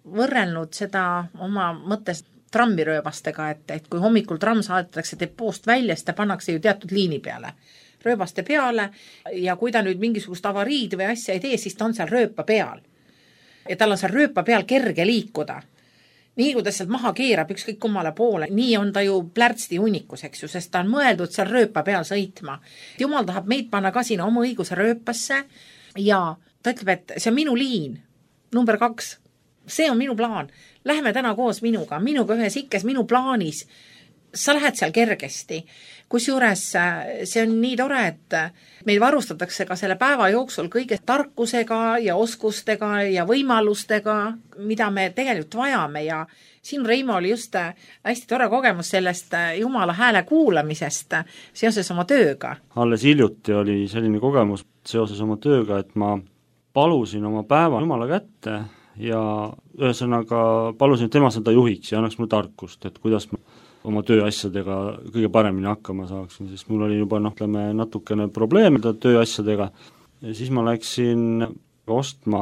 võrrelnud seda oma mõttes trammirööbastega, et kui hommikul tramm saadetakse depoost välja, siis ta pannakse ju teatud liini peale, rööbaste peale ja kui ta nüüd mingisugust avariid või asja ei tee, siis ta on seal rööpa peal. Ja tal on seal rööpa peal kerge liikuda. Nii kui ta sealt maha keerab ükskõik kummale poole, nii on ta ju plärtsti hunnikus, eks ju, sest ta on mõeldud seal rööpa peal sõitma. Jumal tahab meid panna ka sinna oma õiguse rööpasse ja ta ütleb, et see on minu liin, number 2. See on minu plaan. Lähme täna koos minuga ühes ikkes, minu plaanis. Sa lähed seal kergesti. Kusjuures see on nii tore, et meil varustatakse ka selle päeva jooksul kõige tarkusega ja oskustega ja võimalustega, mida me tegelikult vajame ja siin Reimo oli just hästi tore kogemus sellest Jumala hääle kuulamisest seoses oma tööga. Alles hiljuti oli selline kogemus seoses oma tööga, et ma palusin oma päeva Jumala kätte ja ühesõnaga palusin, et tema seda juhiks ja annaks mulle tarkust, et kuidas ma oma tööasjadega kõige paremini hakkama saaksin, sest mul oli juba natukene probleeme tööasjadega ja siis ma läksin ostma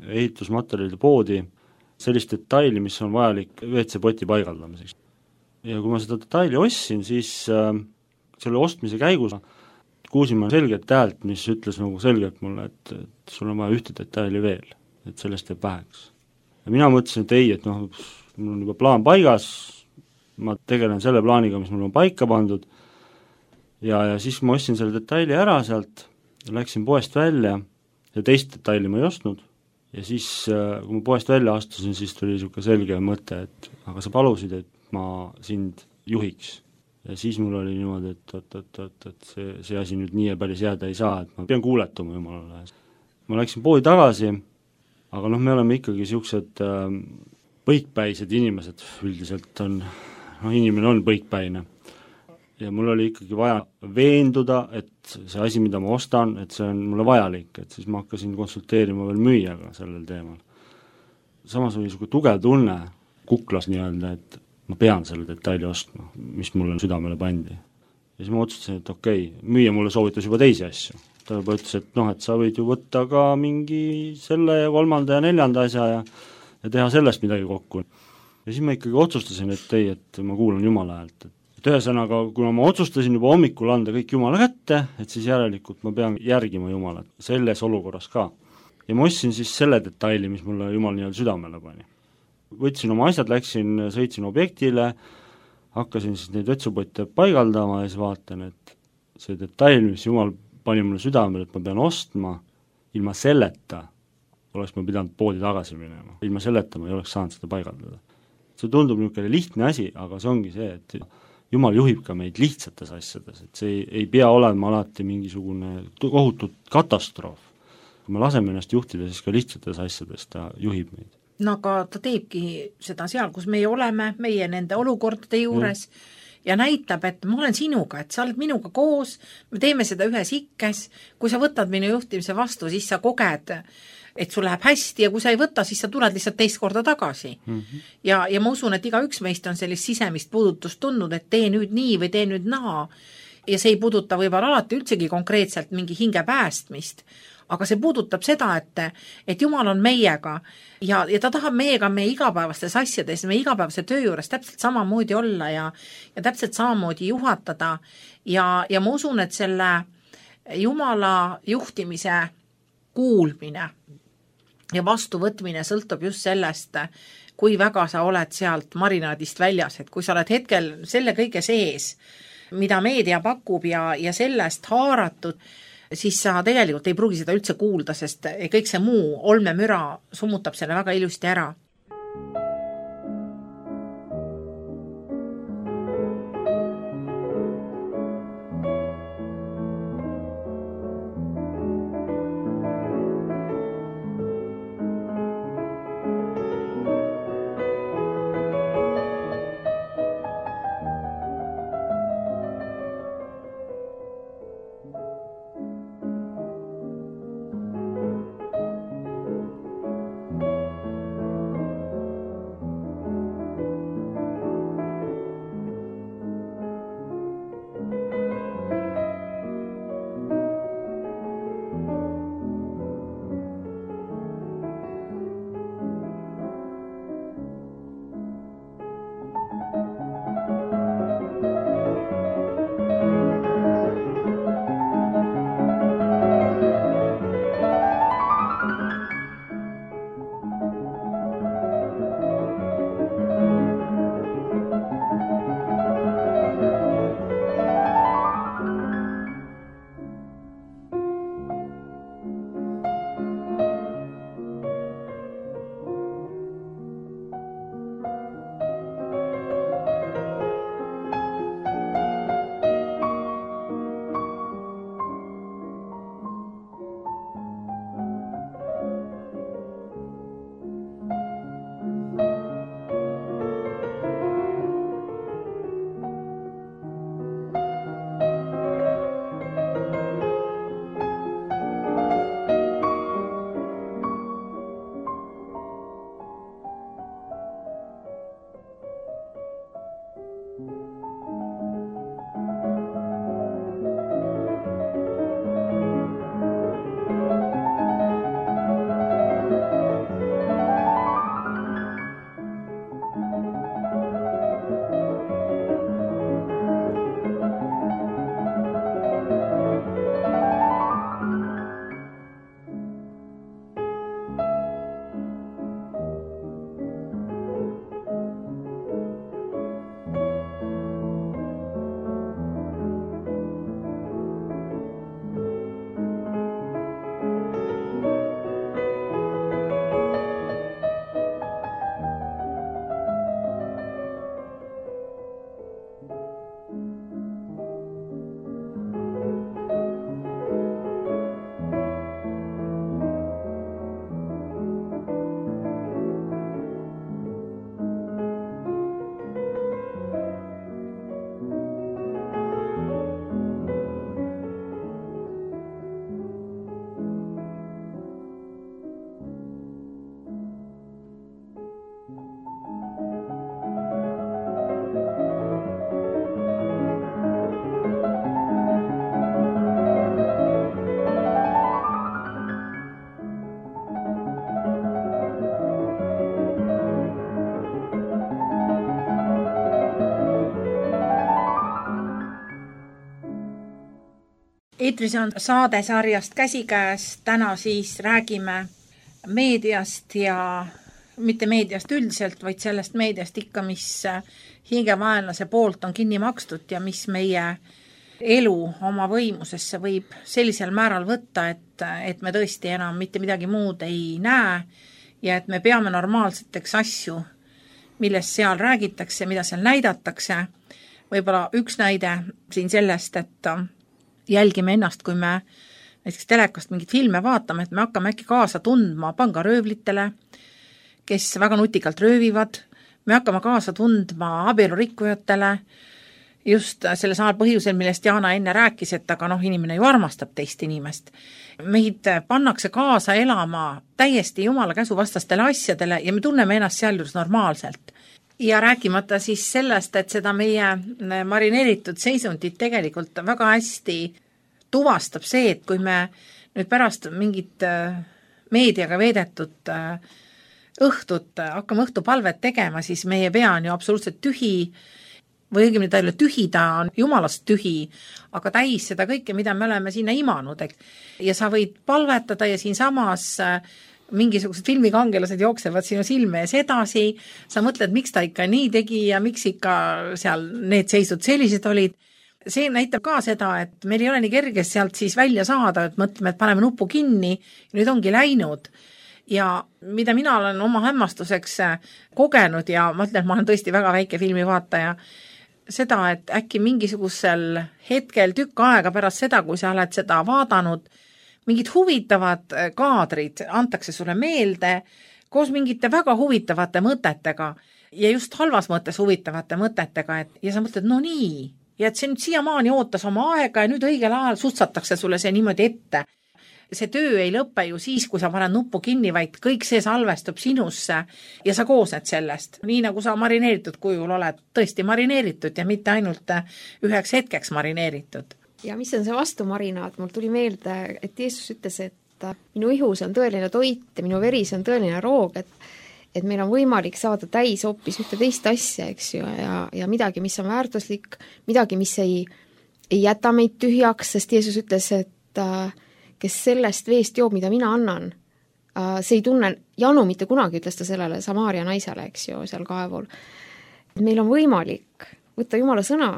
ehitusmaterjalide poodi sellist detaili, mis on vajalik WC-poti paigaldamiseks. Ja kui ma seda detaili ostsin, siis selle ostmise käigus kuulsin ma selgelt häält, mis ütles nagu selgelt mulle, et sul on vaja ühte detaili veel, et sellest jääb väheks. Ja mina mõtlesin, et ei, et noh, mul on juba plaan paigas, ma tegelen selle plaaniga, mis mul on paika pandud, ja siis ma ostsin selle detaili ära sealt, läksin poest välja ja teist detaili ma ei ostnud, ja siis, kui ma poest välja astusin, siis tuli niisugune selge mõte, et aga sa palusid, et ma sind juhiks. Ja siis mul oli niimoodi, et see asi nüüd nii ja päris jääda ei saa, et ma pean kuuletuma jumalale. Ma läksin poodi tagasi, aga noh, me oleme ikkagi niisugused põikpäised inimesed, üldiselt on, noh, inimene on põikpäine. Ja mul oli ikkagi vaja veenduda, et see asi, mida ma ostan, et see on mulle vajalik, et siis ma hakkasin konsulteerima veel müüjaga sellel teemal. Samas oli niisugune tugev tunne kuklas nii-öelda, et ma pean selle detaili ostma, mis mulle südamele pandi. Ja siis ma otsustasin, et okei, müüja mulle soovitas juba teisi asju. Ta juba ütles, et noh, et sa võid ju võtta ka mingi selle ja 3. ja 4. asja ja teha sellest midagi kokku. Ja siis ma ikkagi otsustasin, et ei, et ma kuulan Jumala häält. Et ühesõnaga, kuna ma otsustasin juba hommikul anda kõik Jumala kätte, et siis järelikult ma pean järgima Jumalat selles olukorras ka. Ja ma ostsin siis selle detaili, mis mulle Jumal nii-öelda südamele pani. Võtsin oma asjad, sõitsin objektile, hakkasin siis neid vetsupotte paigaldama ja siis vaatan, et see detail, mis Jumal pani mulle südamele, et ma pean ostma, ilma selleta oleks ma pidanud poodi tagasi minema. Ilma selleta ma ei oleks saanud seda paigaldada. See tundub niisugune lihtne asi, aga see ongi see, et Jumal juhib ka meid lihtsates asjades, et see ei pea olema alati mingisugune kohutut katastroof. Kui me laseme ennast juhtida, siis ka lihtsates asjades ta juhib meid. No aga ta teebki seda seal, kus meie oleme, meie nende olukordade juures ja näitab, et ma olen sinuga, et sa oled minuga koos, me teeme seda ühes ikkes, kui sa võtad minu juhtimise vastu, siis sa koged, et sul läheb hästi ja kui sa ei võta, siis sa tuled lihtsalt teist korda tagasi. Ja ma usun, et igaüks meist on sellist sisemist puudutust tundnud, et tee nüüd nii või tee nüüd naa ja see ei puuduta võib-olla alati üldsegi konkreetselt mingi hinge päästmist, aga see puudutab seda, et Jumal on meiega ja ta tahab meiega meie igapäevastes asjades, meie igapäevase töö juures täpselt samamoodi olla ja täpselt samamoodi juhatada ja ma usun, et selle Jumala juhtimise kuulmine ja vastuvõtmine sõltub just sellest, kui väga sa oled sealt marinaadist väljas, et kui sa oled hetkel selle kõige sees, mida meedia pakub ja sellest haaratud, siis sa tegelikult ei pruugi seda üldse kuulda, sest kõik see muu olmemüra summutab selle väga ilusti ära. eetris on saadesarjast Käsikäes, täna siis räägime meediast ja mitte meediast üldiselt, vaid sellest meediast ikka, mis hingevaenlase poolt on kinni makstud ja mis meie elu oma võimusesse võib sellisel määral võtta, et me tõesti enam mitte midagi muud ei näe ja et me peame normaalseteks asju, millest seal räägitakse, mida seal näidatakse. Võib-olla üks näide siin sellest, et jälgime ennast, kui me näiteks telekast mingit filme vaatame, et me hakkame äkki kaasa tundma pangaröövlitele, kes väga nutikalt röövivad, me hakkame kaasa tundma abielurikkujatele, just selle samal põhjusel, millest Jaana enne rääkis, et aga inimene ju armastab teist inimest. Meid pannakse kaasa elama täiesti Jumala käsuvastastele asjadele ja me tunneme ennast sealjuures normaalselt. Ja rääkimata siis sellest, et seda meie marineeritud seisundit tegelikult väga hästi tuvastab see, et kui me nüüd pärast mingit meediaga veedetud õhtut hakkame õhtupalvet tegema, siis meie pea on ju absoluutselt tühi, või õigemini ta ei ole tühi, ta on jumalast tühi, aga täis seda kõike, mida me oleme sinna imanud. Ja sa võid palvetada ja siin samas mingisugused filmikangelased jooksevad sinu silme ees edasi, sa mõtled, miks ta ikka nii tegi ja miks ikka seal need seisud sellised olid. See näitab ka seda, et meil ei ole nii kerges sealt siis välja saada, et mõtleme, et paneme nupu kinni ja nüüd ongi läinud. Ja mida mina olen oma hämmastuseks kogenud ja ma ütlen, et ma olen tõesti väga väike filmivaataja, seda, et äkki mingisugusel hetkel tükk aega pärast seda, kui sa oled seda vaadanud, mingid huvitavad kaadrid antakse sulle meelde koos mingite väga huvitavate mõtetega ja just halvas mõttes huvitavate mõtetega, ja sa mõtled, no nii, ja et see nüüd siiamaani ootas oma aega ja nüüd õigel ajal sutsatakse sulle see niimoodi ette. See töö ei lõppe ju siis, kui sa paned nuppu kinni, vaid kõik see salvestub sinusse ja sa koosned sellest. Nii nagu sa marineeritud kujul oled tõesti marineeritud ja mitte ainult üheks hetkeks marineeritud. Ja mis on see vastumarinaad? Mul tuli meelde, et Jeesus ütles, et minu ihus on tõeline toit ja minu veris on tõeline roog, et meil on võimalik saada täis hoopis ühte teist asja, eks ju, ja midagi, mis on väärtuslik, midagi, mis ei jäta meid tühjaks, sest Jeesus ütles, et kes sellest veest joob, mida mina annan, see ei tunne janu mitte kunagi, ütles ta sellele Samaaria naisele, eks ju, seal kaevul. Meil on võimalik võtta Jumala sõna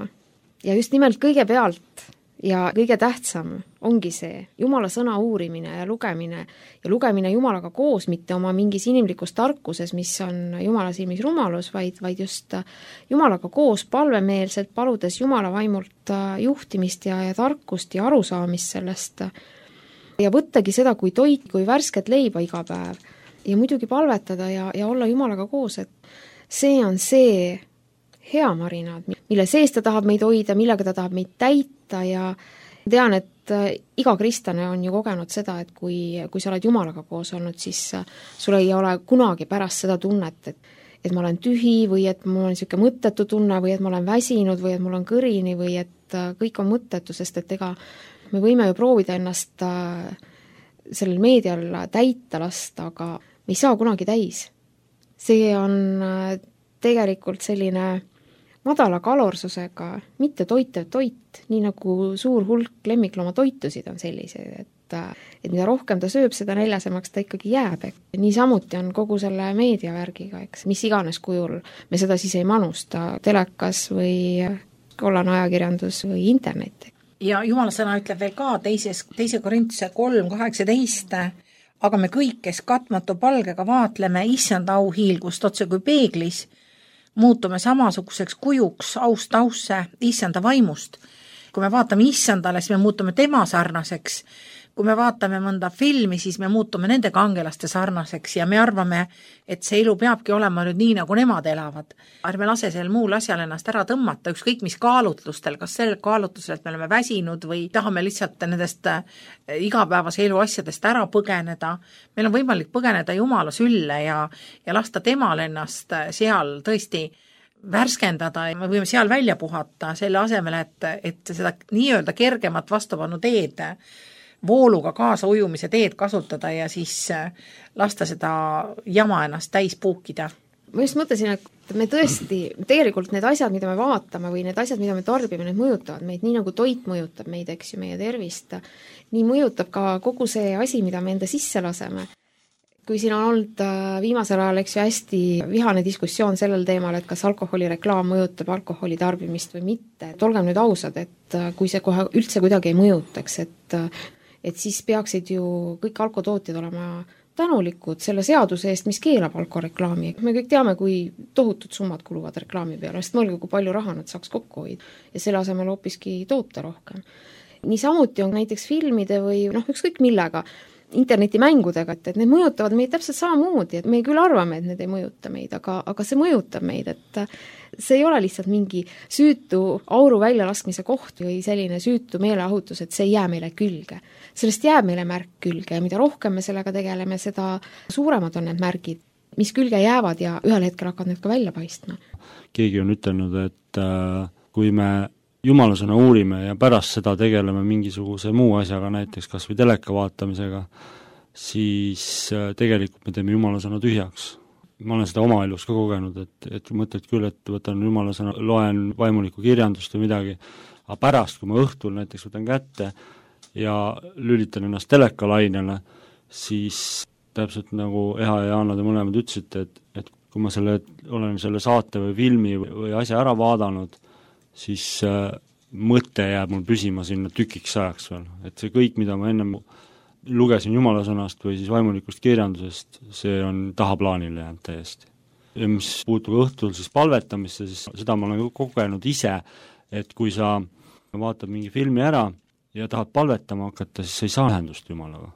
ja just nimelt kõigepealt ja kõige tähtsam ongi see Jumala sõna uurimine ja lugemine Jumalaga koos, mitte oma mingis inimlikus tarkuses, mis on Jumala silmis rumalus, vaid just Jumalaga koos palvemeelselt, paludes Jumala vaimult juhtimist ja tarkust ja arusaamist sellest ja võttagi seda kui toit, kui värsket leiba iga päev ja muidugi palvetada ja olla Jumalaga koos, et see on see hea marinaad, mille sees ta tahab meid hoida, millega ta tahab meid täita ja tean, et iga kristlane on ju kogenud seda, et kui sa oled Jumalaga koos olnud, siis sul ei ole kunagi pärast seda tunnet, et ma olen tühi või et mul on niisugune mõttetu tunne või et ma olen väsinud või et mul on kõrini või et kõik on mõttetu, sest et ega me võime ju proovida ennast sellel meedial täita lasta, aga me ei saa kunagi täis. See on tegelikult selline madala kalorsusega, mitte toitev toit, nii nagu suur hulk lemmiklooma toitusid on sellised, et mida rohkem ta sööb, seda näljasemaks ta ikkagi jääb. Niisamuti on kogu selle meediavärgiga, eks, mis iganes kujul me seda siis ei manusta, telekas või kollane ajakirjandus või internet. Ja Jumala sõna ütleb veel ka 2. Korintuse 3:18, aga me kõik, kes katmatu palgega vaatleme issanda auhiilgust otse kui peeglis, muutume samasuguseks kujuks aust ausse issanda vaimust. Kui me vaatame issandale, siis me muutume tema sarnaseks. Kui me vaatame mõnda filmi, siis me muutume nende kangelaste sarnaseks ja me arvame, et see elu peabki olema nüüd nii, nagu nemad elavad. Ärme lase sel muul asjal ennast ära tõmmata, ükskõik mis kaalutlustel, kas sel kaalutlusel, et me oleme väsinud või tahame lihtsalt nendest igapäevase elu asjadest ära põgeneda. Meil on võimalik põgeneda Jumala sülle ja lasta temal ennast seal tõesti värskendada ja me võime seal välja puhata selle asemel, et seda nii-öelda kergemat vastupanu teed vooluga kaasa ujumise teed kasutada ja siis lasta seda jama ennast täis puukida. ma just mõtlesin, et me tõesti, tegelikult need asjad, mida me vaatame või need asjad, mida me tarbime, need mõjutavad meid, nii nagu toit mõjutab meid, eks ju, meie tervist, nii mõjutab ka kogu see asi, mida me enda sisse laseme. Kui siin on olnud viimasel ajal, eks ju, hästi vihane diskussioon sellel teemal, et kas alkoholireklaam mõjutab alkoholi tarbimist või mitte, et olgem nüüd ausad, et kui see kohe üldse kuidagi ei mõjutaks, et siis peaksid ju kõik alkotootjad olema tänulikud selle seaduse eest, mis keelab alkoreklaami. Me kõik teame, kui tohutud summad kuluvad reklaami peale, sest mõelge, kui palju raha nad saaks kokku hoida ja selle asemel hoopiski toota rohkem. Niisamuti on näiteks filmide või ükskõik millega, internetimängudega, et need mõjutavad meid täpselt samamoodi, et me küll arvame, et need ei mõjuta meid, aga see mõjutab meid, et see ei ole lihtsalt mingi süütu auru väljalaskmise koht või selline süütu meeleahutus, et see ei jää meile külge. Sellest jääb meile märk külge ja mida rohkem me sellega tegeleme, seda suuremad on need märgid, mis külge jäävad ja ühel hetkel hakkavad need ka välja paistma. Keegi on ütelnud, et kui me jumalasõna uurime ja pärast seda tegeleme mingisuguse muu asjaga, näiteks kas või teleka vaatamisega, siis tegelikult me teeme jumalasõna tühjaks. Ma olen seda oma elus ka kogenud, et mõtled küll, et võtan jumalasõna, loen vaimulikku kirjandust või midagi, aga pärast, kui ma õhtul näiteks võtan kätte ja lülitan ennast telekalainele, siis täpselt nagu Eha ja Jaana te mõlemad ütlesite, et kui ma olen selle saate või filmi või asja ära vaadanud, siis mõte jääb mul püsima sinna tükiks ajaks veel. Et see kõik, mida ma ennem lugesin jumalasõnast või siis vaimulikust kirjandusest, see on tahaplaanile jäänud täiesti. Ja mis puutub õhtul siis palvetamisse, siis seda ma olen kogenud ise, et kui sa vaatad mingi filmi ära ja tahad palvetama hakata, siis sa ei saa ühendust Jumalaga.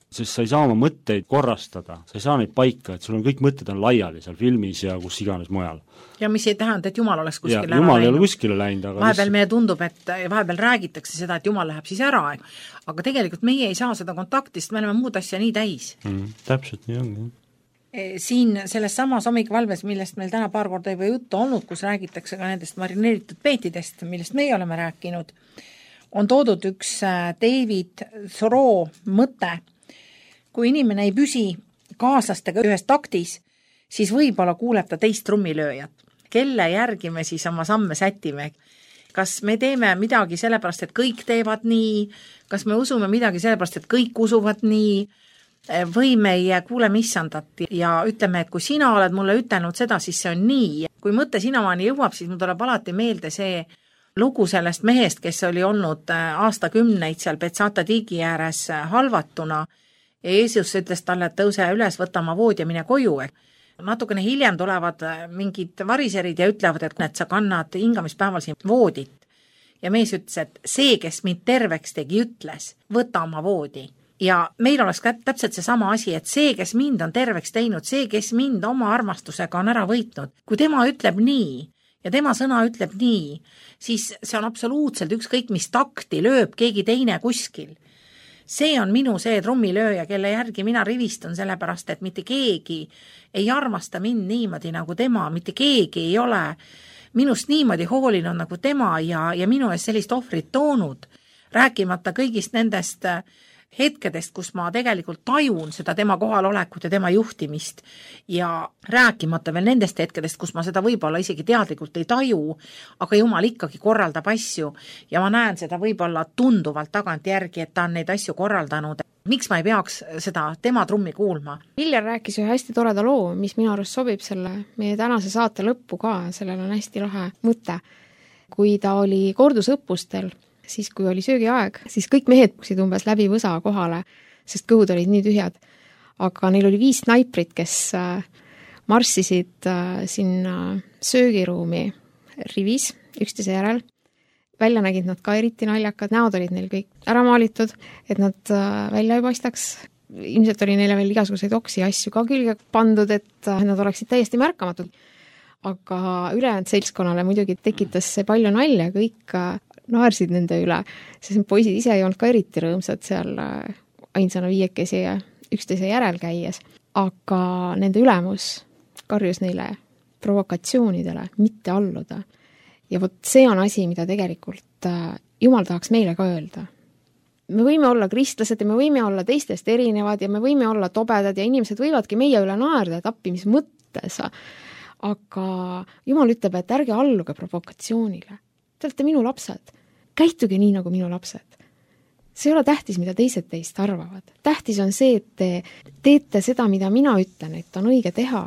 Sest sa ei saa oma mõtteid korrastada, sa ei saa neid paika, et sul on kõik mõtted on laiali seal filmis ja kus iganes mujal. Ja mis ei tähenda, et Jumal oleks kuskile ära läinud. Jumal ei ole kuskile läinud, aga vahepeal meile tundub, et vahepeal räägitakse seda, et Jumal läheb siis ära, aga tegelikult meie ei saa seda kontaktist, me oleme muud asja nii täis. Täpselt nii ongi. Siin selles samas hommikuvalves, millest meil täna paar korda juba juttu olnud, kus räägitakse ka nendest marineeritud peetidest, millest meie oleme rääkinud, on toodud üks David Thoreau mõte. Kui inimene ei püsi kaaslastega ühes taktis, siis võib-olla kuuleb ta teist trummilööjat. Kelle järgi me siis oma samme sätime? Kas me teeme midagi sellepärast, et kõik teevad nii? Kas me usume midagi sellepärast, et kõik usuvad nii? Või me ei kuule missandat ja ütleme, et kui sina oled mulle ütelnud seda, siis see on nii. Kui mõte sinamaani jõuab, siis mul tuleb alati meelde see lugu sellest mehest, kes oli olnud aastakümneid seal Betsata tiigi ääres halvatuna. Ja Jeesus ütles talle, et tõuse üles, võta oma vood ja mine koju. Natukene hiljem tulevad mingid variserid ja ütlevad, et sa kannad hingamispäeval siin voodit. Ja mees ütles, et see, kes mind terveks tegi, ütles, võta oma voodi. Ja meil oleks täpselt see sama asi, et see, kes mind on terveks teinud, see, kes mind oma armastusega on ära võitnud, kui tema ütleb nii ja tema sõna ütleb nii, siis see on absoluutselt ükskõik, mis takti lööb keegi teine kuskil. See on minu see trummilööja, kelle järgi mina rivistun sellepärast, et mitte keegi ei armasta mind niimoodi nagu tema, mitte keegi ei ole minust niimoodi hoolinud nagu tema ja minu ees sellist ohvrit toonud, rääkimata kõigist nendest hetkedest, kus ma tegelikult tajun seda tema kohalolekut ja tema juhtimist ja rääkimata veel nendest hetkedest, kus ma seda võib-olla isegi teadlikult ei taju, aga Jumal ikkagi korraldab asju ja ma näen seda võib-olla tunduvalt tagant järgi, et ta on neid asju korraldanud. Miks ma ei peaks seda tema trummi kuulma? Viljar rääkis ühe hästi toreda loo, mis minu arust sobib selle meie tänase saate lõppu ka, sellel on hästi lahe mõte. Kui ta oli kordusõppustel, siis kui oli söögiaeg, siis kõik mehed puksid umbes läbi võsa kohale, sest kõhud olid nii tühjad. Aga neil oli 5 snaiprit, kes marssisid sinna söögiruumi rivis üksteise järel. Välja nägid nad ka eriti naljakad, näod olid neil kõik ära maalitud, et nad välja ei paistaks. Ilmselt oli neile veel igasuguseid oksi asju ka külge pandud, et nad oleksid täiesti märkamatud. Aga ülejäänud seltskonnale muidugi tekitas see palju nalja, kõik naersid nende üle, sest poisid ise ei olnud ka eriti rõõmsad seal ainsana 5 ja üksteise järel käies. Aga nende ülemus karjus neile provokatsioonidele mitte alluda. Ja vot see on asi, mida tegelikult Jumal tahaks meile ka öelda. Me võime olla kristlased ja me võime olla teistest erinevad ja me võime olla tobedad ja inimesed võivadki meie üle naerda, et appi mis mõttes. aga Jumal ütleb, et ärge alluge provokatsioonile. Te olete minu lapsed. Käituge nii, nagu minu lapsed. See ei ole tähtis, mida teised teist arvavad. Tähtis on see, et te teete seda, mida mina ütlen, et on õige teha.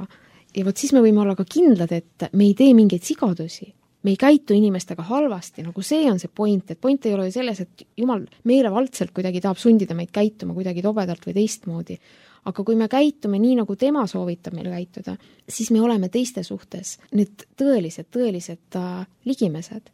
Ja vot siis me võime olla ka kindlad, et me ei tee mingeid sigadusi. Me ei käitu inimestega halvasti, nagu see on see point, et point ei ole ju selles, et Jumal meelevaldselt kuidagi tahab sundida meid käituma kuidagi tobedalt või teistmoodi. Aga kui me käitume nii, nagu tema soovitab meil käituda, siis me oleme teiste suhtes need tõelised ligimesed,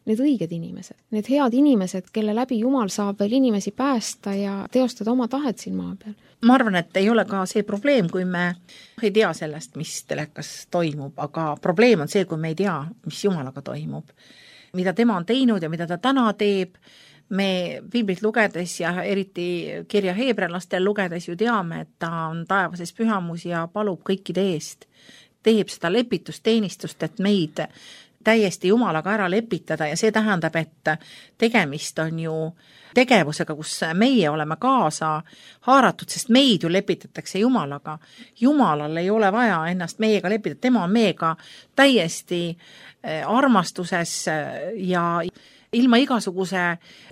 need õiged inimesed, need head inimesed, kelle läbi Jumal saab veel inimesi päästa ja teostada oma tahet siin maa peal. Ma arvan, et ei ole ka see probleem, kui me ei tea sellest, mis telekas toimub, aga probleem on see, kui me ei tea, mis Jumalaga toimub. Mida tema on teinud ja mida ta täna teeb, me piiblit lugedes ja eriti kirja heebrelastel lugedes ju teame, et ta on taevases pühamus ja palub kõikide eest. Teeb seda lepitusteenistust, et meid täiesti Jumalaga ära lepitada ja see tähendab, et tegemist on ju tegevusega, kus meie oleme kaasa haaratud, sest meid ju lepitatakse Jumalaga. Jumalal ei ole vaja ennast meiega lepitada, tema on meiega täiesti armastuses ja ilma igasuguse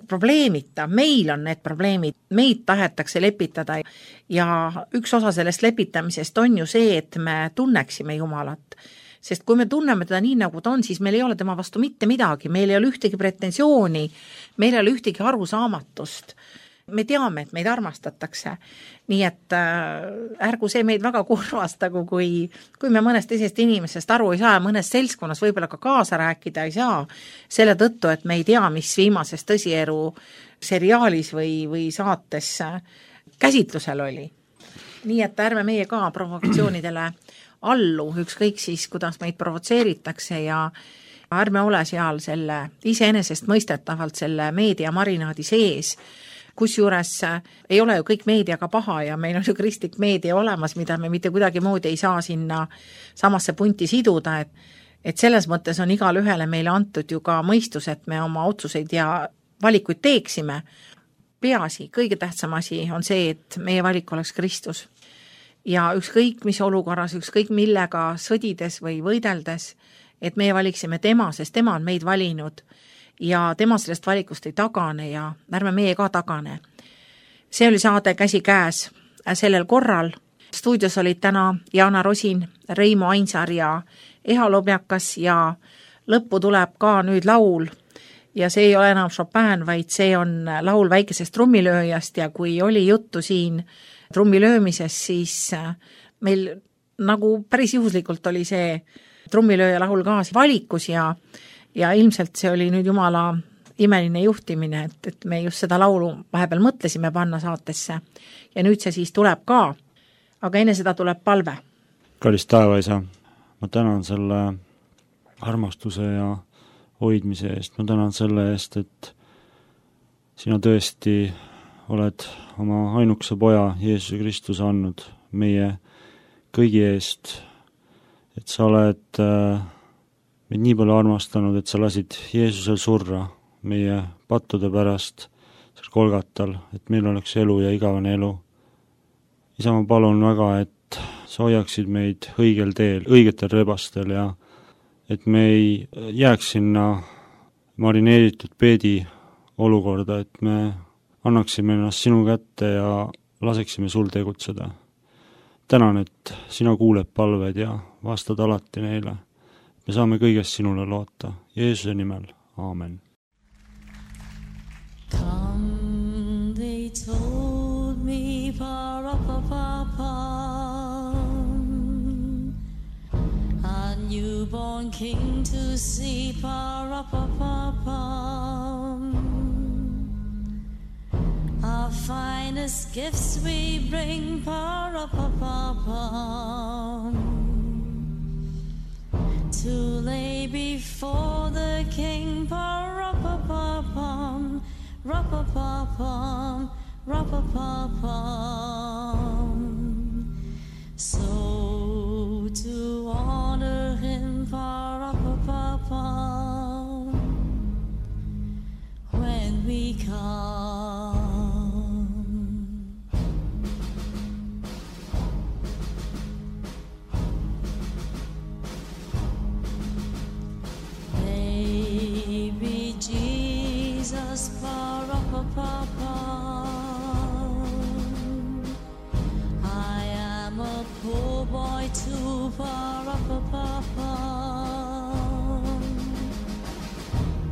probleemita, meil on need probleemid, meid tahetakse lepitada ja üks osa sellest lepitamisest on ju see, et me tunneksime Jumalat. Sest kui me tunneme teda nii, nagu ta on, siis meil ei ole tema vastu mitte midagi, meil ei ole ühtegi pretensiooni, meil ei ole ühtegi arusaamatust. Me teame, et meid armastatakse. Nii et ärgu see meid väga kurvastagu, kui me mõnest teisest inimesest aru ei saa ja mõnes seltskonnas võib-olla ka kaasa rääkida ei saa, selle tõttu, et me ei tea, mis viimases tõsieru seriaalis või saates käsitlusel oli. Nii et ärme meie ka provokatsioonidele allu, ükskõik siis, kuidas meid provotseeritakse ja ärme ole seal selle iseenesest mõistetavalt selle meedia marinaadi sees, kusjuures ei ole ju kõik meediaga paha ja meil on ju kristlik meedia olemas, mida me mitte kuidagi moodi ei saa sinna samasse punti siduda, et selles mõttes on igal ühele meile antud ju ka mõistus, et me oma otsuseid ja valikuid teeksime. Peaasi, kõige tähtsam asi on see, et meie valik oleks Kristus. Ja ükskõik mis olukorras, ükskõik millega sõdides või võideldes, et meie valiksime tema, sest tema on meid valinud ja tema sellest valikust ei tagane ja ärme meie ka tagane. See oli saade Käsi käes sellel korral. Stuudios olid täna Jana Rosin, Reimo Ainsar ja Eha Lobjakas ja lõppu tuleb ka nüüd laul ja see ei ole enam Chopin, vaid see on laul väikesest trummilööjast ja kui oli juttu siin trummilöömises, siis meil nagu päris juhuslikult oli see trummilööja lahul ka valikus ja ilmselt see oli nüüd Jumala imeline juhtimine, et me just seda laulu vahepeal mõtlesime panna saatesse ja nüüd see siis tuleb ka, aga enne seda tuleb palve. Kallis taevaisa, ma tänan selle armastuse ja hoidmise eest, ma tänan selle eest, et sina tõesti oled oma ainukese poja Jeesuse Kristuse andnud meie kõigi eest, et sa oled meid nii palju armastanud, et sa lasid Jeesusel surra meie pattude pärast seal Golgatal, et meil oleks elu ja igavene elu. Isa, ma palun väga, et sa hoiaksid meid õigel teel, õigetel rebastel ja et me ei jääks sinna marineeritud peedi olukorda, et me annaksime ennast sinu kätte ja laseksime sul tegutseda. Tänan, et sina kuuled palved ja vastad alati neile. Me saame kõigest sinule loota. Jeesuse nimel. Aamen. Come, they told me, pa-ra-pa-pa-pa, a newborn king to see, pa-ra-pa-pa-pa. Our finest gifts we bring, pa-ra-pa-pa-pa, to lay before the king, pa-ra-pa-pa-pam, ra-pa-pa-pam, ra-pa-pa-pam. So to honor him, pa-ra-pa-pa-pam, when we come. to Pa-ra-pa-pa-pum.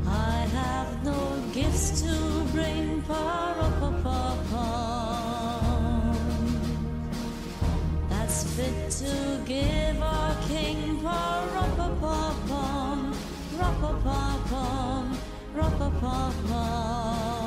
I have no gifts to bring Pa-ra-pa-pa-pum. That's fit to give our king Pa-ra-pa-pa-pum. Ra-pa-pa-pum, ra-pa-pa-pum.